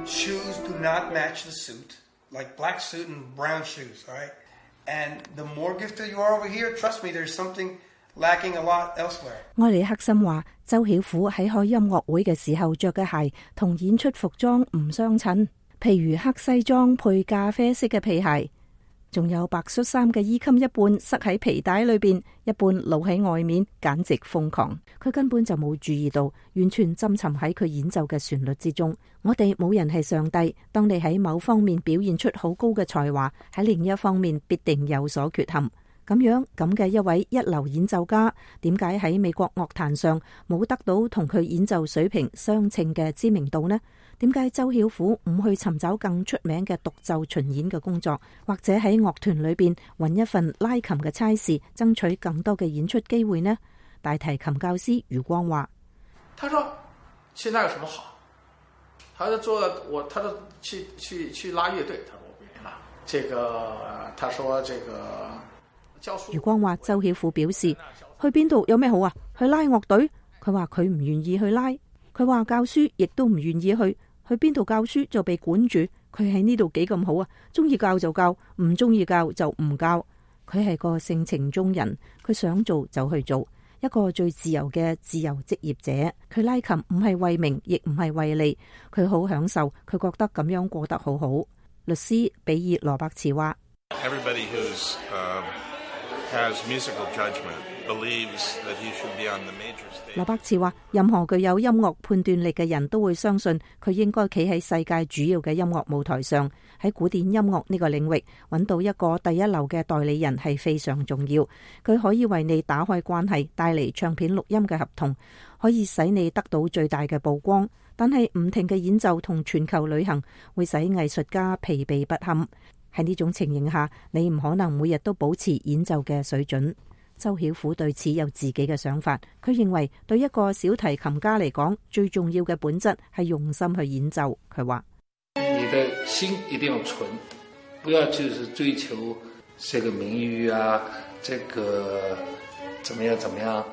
S13: ：Shoes do not match the suit. Like black suit and brown shoes, all right? And the more gifted you are over here, trust me, there's something lacking a lot elsewhere.
S6: 愛尼克森話：周曉虎喺開音樂會嘅時候着嘅鞋同演出服裝唔相襯，譬如黑西裝配咖啡色嘅皮鞋，仲有白恤衫嘅衣襟一半塞喺皮帶裏邊，一半露喺外面，簡直瘋狂。佢根本就冇注意到，完全浸沉喺佢演奏嘅旋律之中。我哋冇人係上帝，當你喺某方面表現出好高嘅才華，喺另一方面必定有所缺陷。咁嘅一位一流演奏家，點解喺美國樂壇上冇得到同佢演奏水平相稱嘅知名度呢？點解周曉虎唔去尋找更出名嘅獨奏巡演嘅工作，或者喺樂團裏邊揾一份拉琴嘅差事，爭取更多嘅演出機會呢？大提琴教師余光話：
S12: 他說現在有什麼好？他就做他就去拉樂隊，他說我不願意拉。他說教書。
S6: 余光話：周曉虎表示去邊度有咩好啊？去拉樂隊？佢話佢唔願意去拉。佢話教書亦都唔願意去邊度教書就被管住。佢喺呢度幾咁好啊？中意教就教，唔中意教就唔教。佢係個性情中人，佢想做就去做，一個最自由嘅自由職業者。佢拉琴唔係為名，亦唔係為利，佢好享受，佢覺得咁樣過得好好。律師比爾羅伯茨話：羅伯茨話，任何具有音樂判斷力嘅人都會相信佢應該企喺世界主要嘅音樂舞台上。喺古典音樂呢個領域揾到一個第一流嘅代理人係非常重要。佢可以為你打開關係，帶嚟唱片錄音嘅合同，可以使你得到最大嘅曝光。但係唔停嘅演奏同全球旅行會使藝術家疲憊不堪。喺呢種情形下，你唔可能每日都保持演奏嘅水準。周曉虎對此有自己嘅想法，佢認為對一個小提琴家嚟講，最重要嘅本質係用心去演奏。佢話：
S12: 你的心一定要純，不要就是追求這個名譽啊，這個怎麼樣。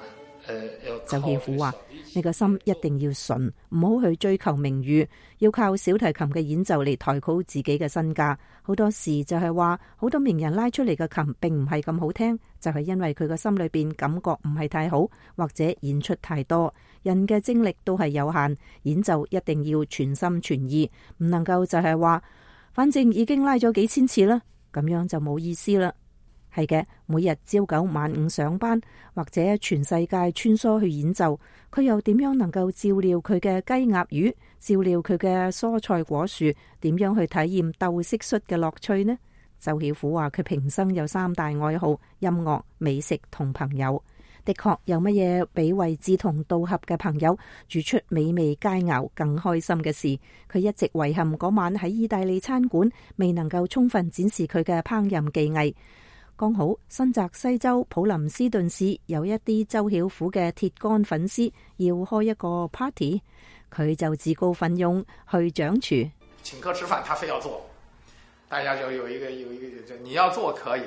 S6: 周曉虎話：你個心一定要純，唔好去追求名譽，要靠小提琴嘅演奏嚟抬高自己嘅身價。好多時就係話，好多名人拉出嚟嘅琴並唔係咁好聽，就係因為佢個心裏邊感覺唔係太好，或者演出太多。人嘅精力都係有限，演奏一定要全心全意，唔能夠就係話，反正已經拉咗幾千次啦，咁樣就冇意思啦。係嘅，每日朝九晚五上班，或者全世界穿梭去演奏，佢又點樣能夠照料佢嘅雞鴨魚，照料佢嘅蔬菜果樹，點樣去體驗鬥蟋蟀嘅樂趣呢？周曉虎話佢平生有3大愛好：音樂、美食同朋友。的確有乜嘢比為志同道合嘅朋友煮出美味佳肴更開心嘅事？佢一直遺憾嗰晚喺意大利餐館未能夠充分展示佢嘅烹飪技藝。剛好新澤西州普林斯頓市有一啲周曉虎嘅鐵桿粉絲要開一個 party， 佢就自告奮勇去掌廚。
S12: 請客吃飯，他非要做，大家就有一個，你要做可以，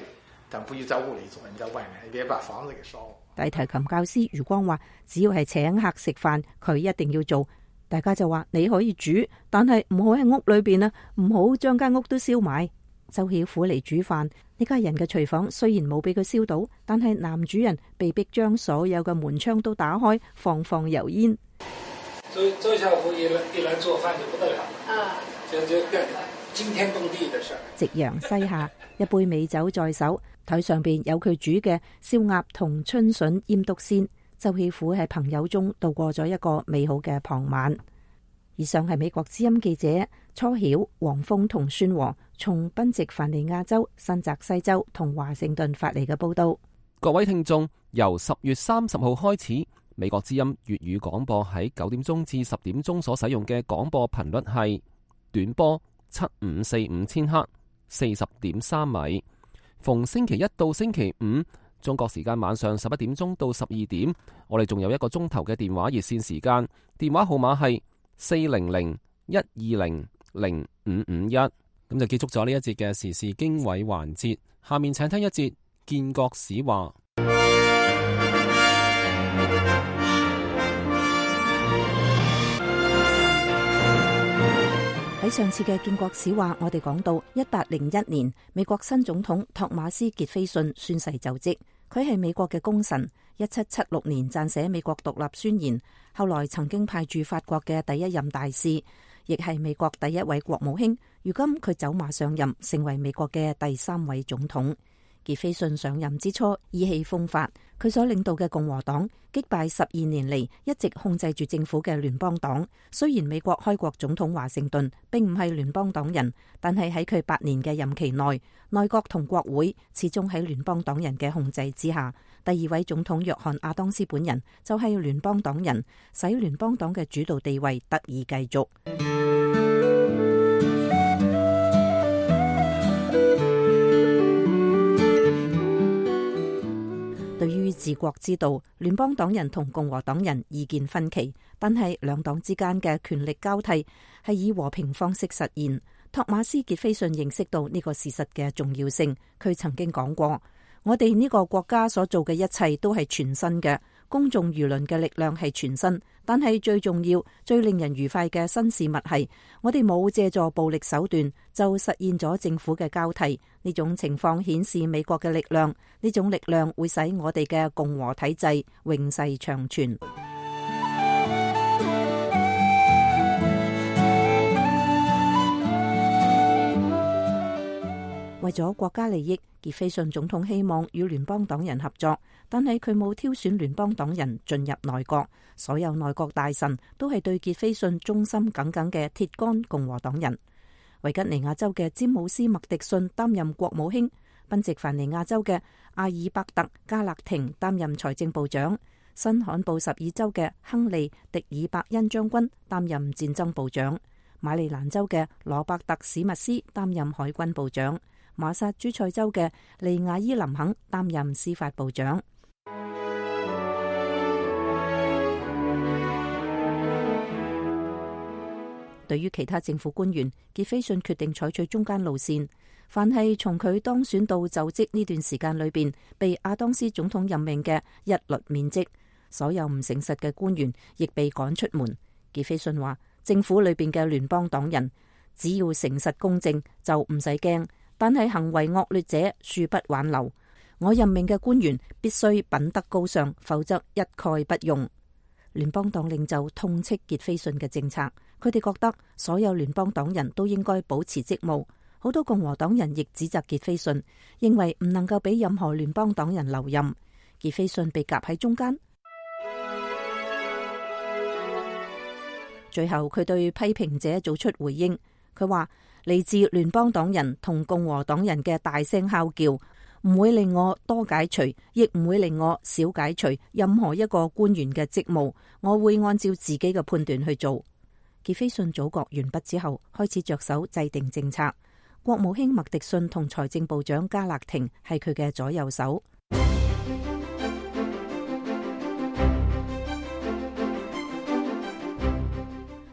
S12: 但不許在屋裏做，你在外面，你別把房子給燒。
S6: 大提琴教師余光話：只要係請客食飯，佢一定要做。大家就話：你可以煮，但係唔好喺屋裏邊啊，唔好將間屋都燒埋。周曉虎嚟煮飯，呢家人嘅廚房雖然冇俾佢燒到，但係男主人被逼將所有嘅門窗都打開，放油煙。
S12: 周曉虎一來做飯就不得了，就
S9: 驚天動地的事。
S6: 夕陽西下，一杯美酒在手，台上邊有佢煮嘅燒鴨同春筍醃篤鮮。周喜虎喺朋友中度過咗一個美好嘅傍晚。以上係美國之音記者初曉、黃峰同孫和從賓夕凡尼亞州、新澤西州同華盛頓發嚟嘅報道。
S3: 各位聽眾，由10月30號開始，美國之音粵語廣播喺9點鐘至10點鐘所使用嘅廣播頻率係短波7545千赫，40.3米。逢星期一到星期五，中國時間晚上11點鐘到12點，我哋仲有1個鐘頭嘅電話熱線時間，電話號碼係400-120-0551。咁就結束咗呢一節嘅時事經緯環節。下面請聽一節建國史話。
S6: 喺上次嘅建國史話，我哋講到1801年，美國新總統托馬斯傑斐遜宣誓就職。佢係美國嘅功臣，1776年撰寫美國獨立宣言，後來曾經派駐法國嘅第一任大使，亦係美國第一位國務卿。如今佢走馬上任，成為美國嘅第3位總統。傑斐遜上任之初意氣風發，佢所領導嘅共和黨擊敗12年嚟一直控制住政府嘅聯邦黨。雖然美國開國總統華盛頓並唔係聯邦黨人，但係喺佢8年嘅任期內，內閣同國會始終喺聯邦黨人嘅控制之下。第2位總統約翰亞當斯本人就係聯邦黨人，使聯邦黨嘅主導地位得以繼續。對於治國之道，聯邦黨人同共和黨人意見分歧，但係兩黨之間嘅權力交替係以和平方式實現。托馬斯傑斐遜認識到呢個事實嘅重要性，佢曾經講過：我哋呢個國家所做嘅一切都係全新嘅，公眾輿論嘅力量係全新，但係最重要、最令人愉快嘅新事物係，我哋冇借助暴力手段就實現咗政府嘅交替。呢種情況顯示美國嘅力量，呢種力量會使我哋嘅共和體制永世長存。為咗國家利益，傑斐遜總統希望與聯邦黨人合作，但係佢冇挑選聯邦黨人進入內閣。所有內閣大臣都係對傑斐遜忠心耿耿嘅鐵桿共和黨人。維吉尼亞州嘅詹姆斯麥迪遜擔任國務卿，賓夕凡尼亞州嘅阿爾伯特加勒廷擔任財政部長，新罕布什爾州嘅亨利迪爾伯恩將軍擔任戰爭部長，馬里蘭州嘅羅伯特史密斯擔任海軍部長，馬薩諸塞州嘅利亞伊林肯擔任司法部長。對於其他政府官員，傑斐遜決定採取中間路線。凡係從佢當選到就職呢段時間裏邊被亞當斯總統任命嘅，一律免職。所有唔誠實嘅官員亦被趕出門。傑斐遜話：政府裏邊嘅聯邦黨人只要誠實公正就唔使驚，但係行為惡劣者恕不挽留。我任命嘅官員必須品德高尚，否則一概不用。聯邦黨領袖痛斥傑斐遜嘅政策，佢哋覺得所有聯邦黨人都應該保持職務。好多共和黨人亦指責傑斐遜，認為唔能夠俾任何聯邦黨人留任。傑斐遜被夾喺中間，最後佢對批評者做出回應。佢話：嚟自聯邦黨人同共和黨人嘅大聲哮叫，唔會令我多解除，亦唔會令我少解除任何一個官員嘅職務。我會按照自己嘅判斷去做。傑斐遜組閣完畢之後，開始着手制定政策。國務卿麥迪遜同財政部長加勒廷係佢嘅左右手。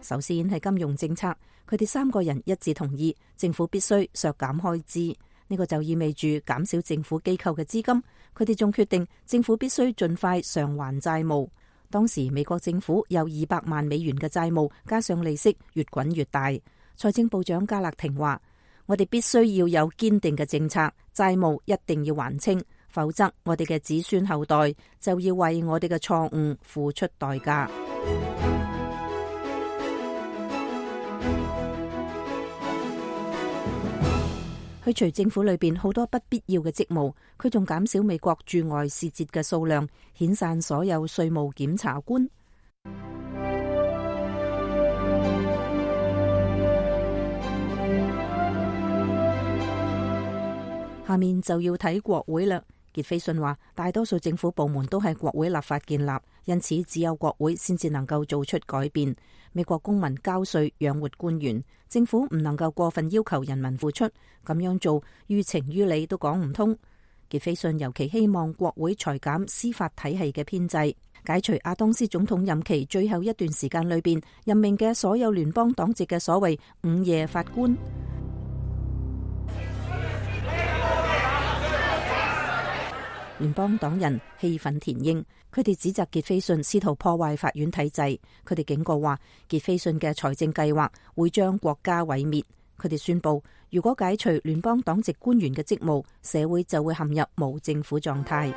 S6: 首先係金融政策，佢哋3個人一致同意政府必須削減開支，呢個就意味住減少政府機構嘅資金。佢哋仲決定政府必須盡快償還債務。當時美國政府有200萬美元嘅債務，加上利息越滾越大。財政部長加勒廷話：我哋必須要有堅定嘅政策，債務一定要還清，否則我哋嘅子孫後代就要為我哋嘅錯誤付出代價。去除政府裏邊好多不必要嘅職務，佢仲減少美國駐外使節嘅數量，遣散所有稅務檢察官。下面就要睇國會啦。傑斐遜話，大多數政府部門都係國會立法建立，因此只有國會先至能夠做出改變。美國公民交稅養活官員，政府唔能夠過分要求人民付出，咁樣做於情於理都講唔通。傑斐遜尤其希望國會裁減司法體系嘅編制，解除亞當斯總統任期最後一段時間裏邊任命嘅所有聯邦黨籍嘅所謂午夜法官。聯邦黨人氣憤填膺，佢哋指責傑斐遜試圖破壞法院體制。佢哋警告話，傑斐遜嘅財政計劃會將國家毀滅。佢哋宣布，如果解除聯邦黨籍官員嘅職務，社會就會陷入無政府狀態。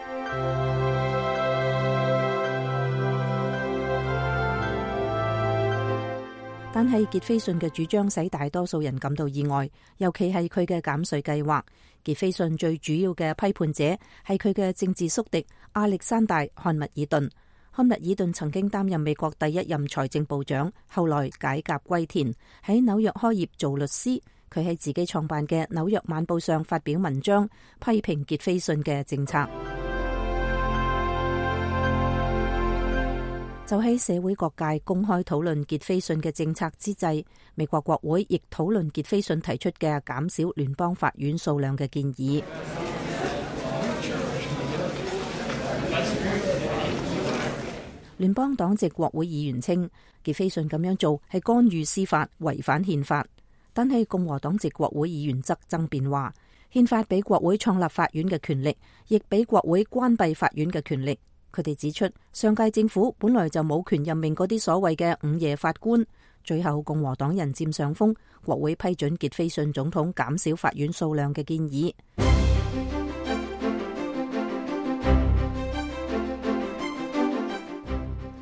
S6: 但係傑斐遜嘅主張使大多數人感到意外，尤其係佢嘅減稅計劃。傑斐遜最主要嘅批判者係佢嘅政治宿敵亞歷山大·漢密爾頓。漢密爾頓曾經擔任美國第一任財政部長，後來解甲歸田，喺紐約開業做律師。佢喺自己創辦嘅《紐約晚報》上發表文章，批評傑斐遜嘅政策。就喺社會各界公開討論傑斐遜嘅政策之際，美國國會亦討論傑斐遜提出嘅減少聯邦法院數量嘅建議。聯邦黨籍國會議員稱，傑斐遜咁樣做係干預司法，違反憲法。但係共和黨籍國會議員則爭辯話，憲法俾國會創立法院嘅權力，亦俾國會關閉法院嘅權力。佢哋指出，上屆政府本來就冇權任命嗰啲所謂嘅午夜法官。最後共和黨人佔上風，國會批准傑斐遜總統減少法院數量嘅建議。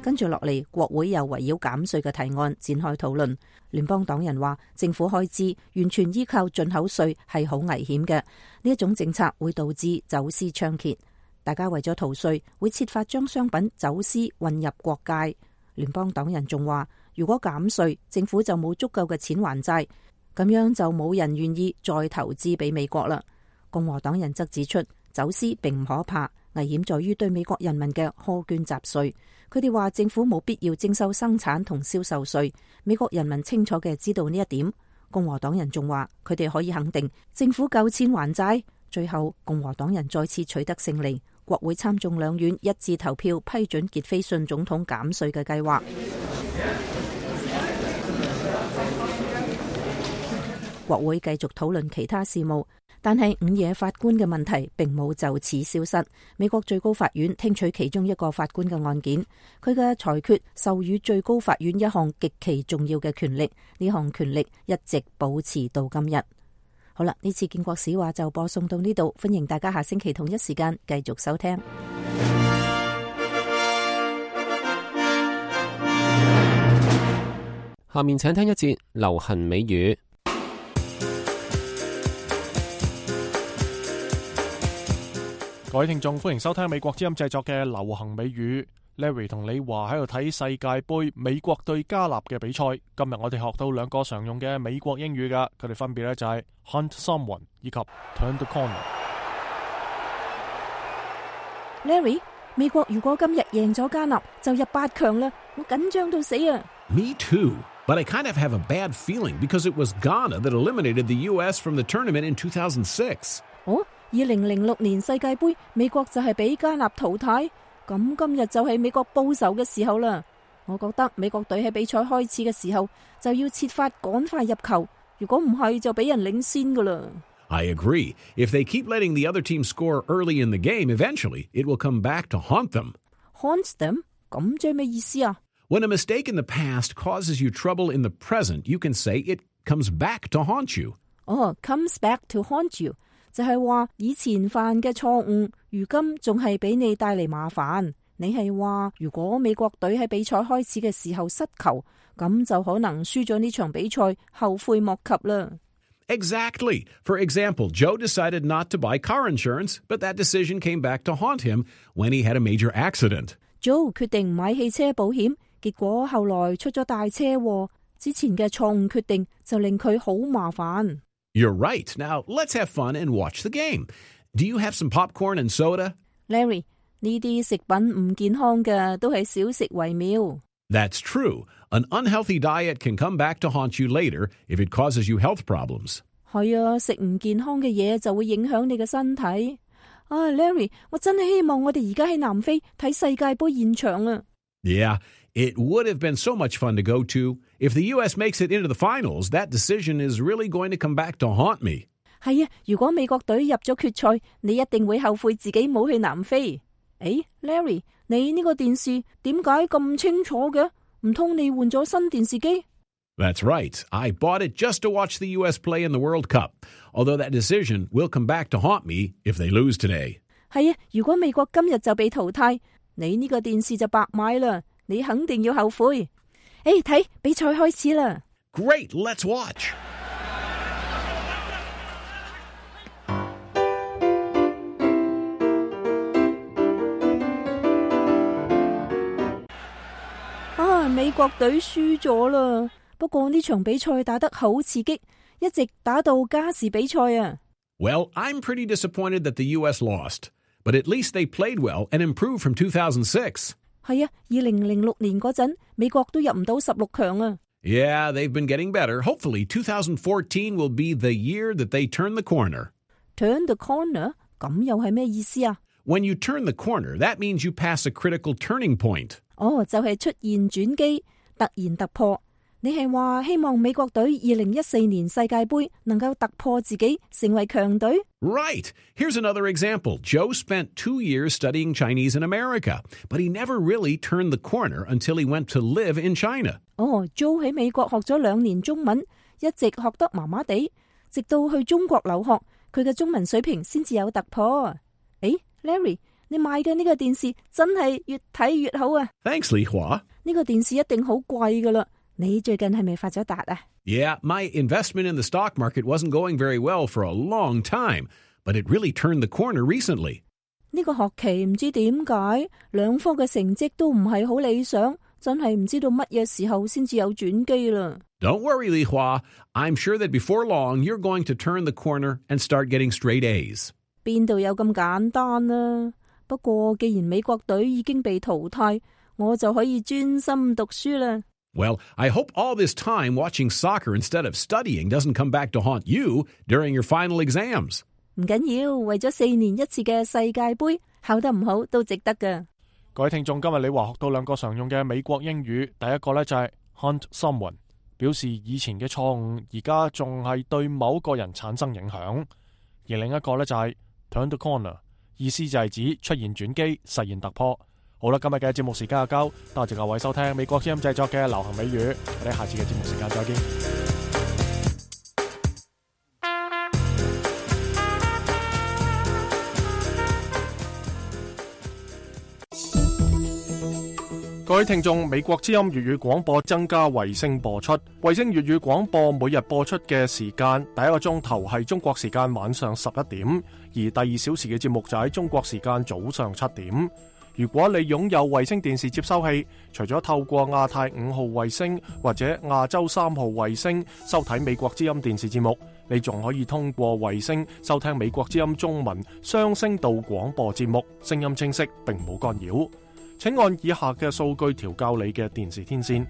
S6: 跟住落嚟，國會又圍繞減稅嘅提案展開討論。聯邦黨人話，政府開支完全依靠進口稅係好危險嘅，呢一種政策會導致走私猖獗。大家為咗逃稅，會設法將商品走私運入國界。聯邦黨人仲話，如果減稅，政府就冇足夠嘅錢還債，咁樣就冇人願意再投資俾美國啦。共和黨人則指出，走私並唔可怕，危險在於對美國人民嘅苛捐雜稅。佢哋話政府冇必要徵收生產同銷售稅，美國人民清楚嘅知道呢一點。共和黨人仲話，佢哋可以肯定政府夠錢還債。最後，共和黨人再次取得勝利。國會參眾兩院一致投票批准傑斐遜總統減稅嘅計劃。國會繼續討論其他事務，但係午夜法官嘅問題並冇就此消失。美國最高法院聽取其中一個法官嘅案件，佢嘅裁決授予最高法院一項極其重要嘅權力，呢項權力一直保持到今日。好啦，呢次建國史話就播送到呢度，歡迎大家下星期同一時間繼續收聽。
S3: 下面請聽一節流行美語。
S2: 各位聽眾，歡迎收聽美國之音製作嘅流行美語。Larry 同李華喺度睇世界盃美國對加納嘅比賽。今日我哋學到兩個常用嘅美國英語噶，佢哋分別咧就係 hunt someone 以及 turn the corner。Larry，
S6: 美國如果今日贏咗加納，就入8強啦，我緊張到死啊
S14: ！Me too, but I kind of have a bad feeling because it was Ghana that eliminated the U.S. from the tournament in 2006.
S6: 哦，2006年世界盃，美國就係俾加納淘汰。咁今日就係美國報仇嘅時候啦！我覺得美國隊喺比賽開始嘅時候就要設法趕快入球，如果唔係就俾人領先噶啦。
S14: I agree. If they keep letting the other team score early in the game, eventually it will come back to haunt them.
S6: Haunt them? 咁即係咩意思啊？
S14: When a mistake in the past causes you trouble in the present, you can say it comes back to haunt you.
S6: Comes back to haunt you 就係話以前犯嘅錯誤，如今仲係俾你帶嚟麻煩。你係話如果美國隊喺比賽開始嘅時候失球，咁就可能輸咗呢場比賽，後悔莫及啦。
S14: Exactly. For example, Joe decided not to buy car insurance, but that decision came back to haunt him when he had a major accident.
S6: Joe 決定唔買汽車保險，結果後來出咗大車禍。之前嘅錯誤決定就令佢好麻煩。
S14: You're right. Now, let's have fun and watch the game. Do you have some popcorn and soda?
S6: Larry, 呢啲食品唔健康嘅都係少食為妙。
S14: That's true. An unhealthy diet can come back to haunt you later if it causes you health problems.
S6: 係啊，食唔健康嘅嘢就會影響你嘅身體。Larry, 我真係希望我哋而家喺南非睇世界盃現場啊。
S14: Yeah, it would have been so much fun to go to. If the U.S. makes it into the finals, that decision is really going to come back to haunt me.
S6: 係啊，如果美國隊入咗決賽，你一定會後悔自己冇去南非。Larry, 你呢個電視點解咁清楚嘅？唔通你換咗新電視機？
S14: That's right. I bought it just to watch the U.S. play in the World Cup, although that decision will come back to haunt me if they lose today.
S6: 係啊，如果美國今日就被淘汰，你呢個電視就白買啦，你肯定要後悔。睇比賽開始啦。
S14: Great, let's watch.
S6: 啊，美國隊輸咗啦。不過呢場比賽打得好刺激，一直打到加時比賽啊。
S14: Well, I'm pretty disappointed that the U.S. lost, but at least they played well and improved from 2006.
S6: 係啊，2006年嗰陣，美國都入唔到16強啊。
S14: Yeah, they've been getting better. Hopefully, 2014 will be the year that they turn the corner.
S6: Turn the corner? 咁又係咩意思啊？
S14: When you turn the corner, that means you pass a critical turning point.
S6: 就係出現轉機，突然突破。你係話希望美國隊2014年世界盃能夠突破自己，成為強隊？
S14: Right. Here's another example. Joe spent 2 years studying Chinese in America, but he never really turned the corner until he went to live in China.
S6: Joe 喺美國學咗2年中文，一直學得麻麻地，直到去中國留學，佢嘅中文水平先至有突破。Larry， 你買嘅呢個電視真係越睇越好啊！
S14: Thanks, Li Hua.
S6: 呢個電視一定好貴㗎啦。你最近係咪發咗達啊？
S14: Yeah, my investment in the stock market wasn't going very well for a long time, but it really turned the corner recently.
S6: 呢個學期唔知點解兩科嘅成績都唔係好理想，真係唔知道乜嘢時候先至有轉機啦。
S14: Don't worry, Li Hua. I'm sure that before long you're going to turn the corner and start getting straight A's.
S6: 邊度有咁簡單啊？不過既然美國隊已經被淘汰，我就可以專心讀書啦。
S14: Well, I hope all this time watching soccer instead of studying doesn't come back to haunt you during your final exams.
S6: 唔緊要，為咗4年一次嘅世界盃，考得唔好都值得㗎。
S2: 各位聽眾，今日你話學到2個常用嘅美國英語，第一個呢就係 haunt someone， 表示以前嘅錯誤而家仲係對某個人產生影響；而另一個呢就係 turn the corner， 意思就係指出現轉機，實現突破。好啦，今日嘅節目時間就夠，多謝各位收聽美國之音製作嘅流行美語，我哋下次嘅節目時間再見。各位聽眾，美國之音粵語廣播增加衛星播出，衛星粵語廣播每日播出嘅時間，第一個鐘頭係中國時間晚上11點，而第2小時嘅節目就喺中國時間早上7點。如果你擁有衛星電視接收器，除咗透過亞太5號衛星或者亞洲3號衛星收睇美國之音電視節目，你仲可以通過衛星收聽美國之音中文雙聲道廣播節目，聲音清晰並冇干擾。請按以下嘅數據調校你嘅電視天線。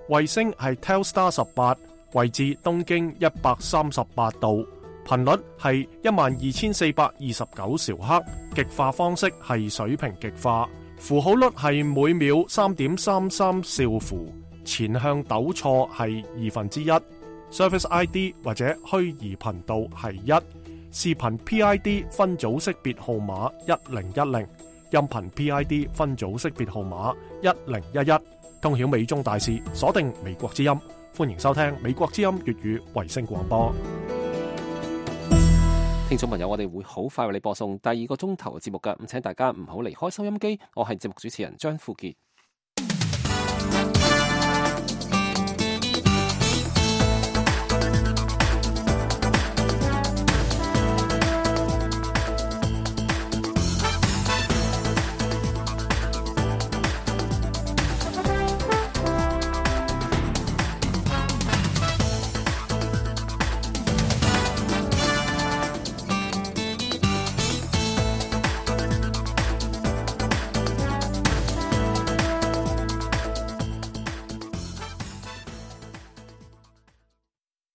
S2: 衛星係 Telstar 18，位置東經138度，頻率係12429兆赫，極化方式係水平極化，符號率係每秒 3.33 兆符，前向糾錯係1/2， Service ID 或者虛擬頻道係1，視頻 PID 分組識別號碼1010，音頻 PID 分組識別號碼1011，通曉美中大事，鎖定美國之音，歡迎收聽美國之音粵語衛星廣播。
S3: 聽眾朋友，我哋會好快為你播送第2個鐘頭嘅節目㗎，咁請大家唔好離開收音機。我係節目主持人張富傑。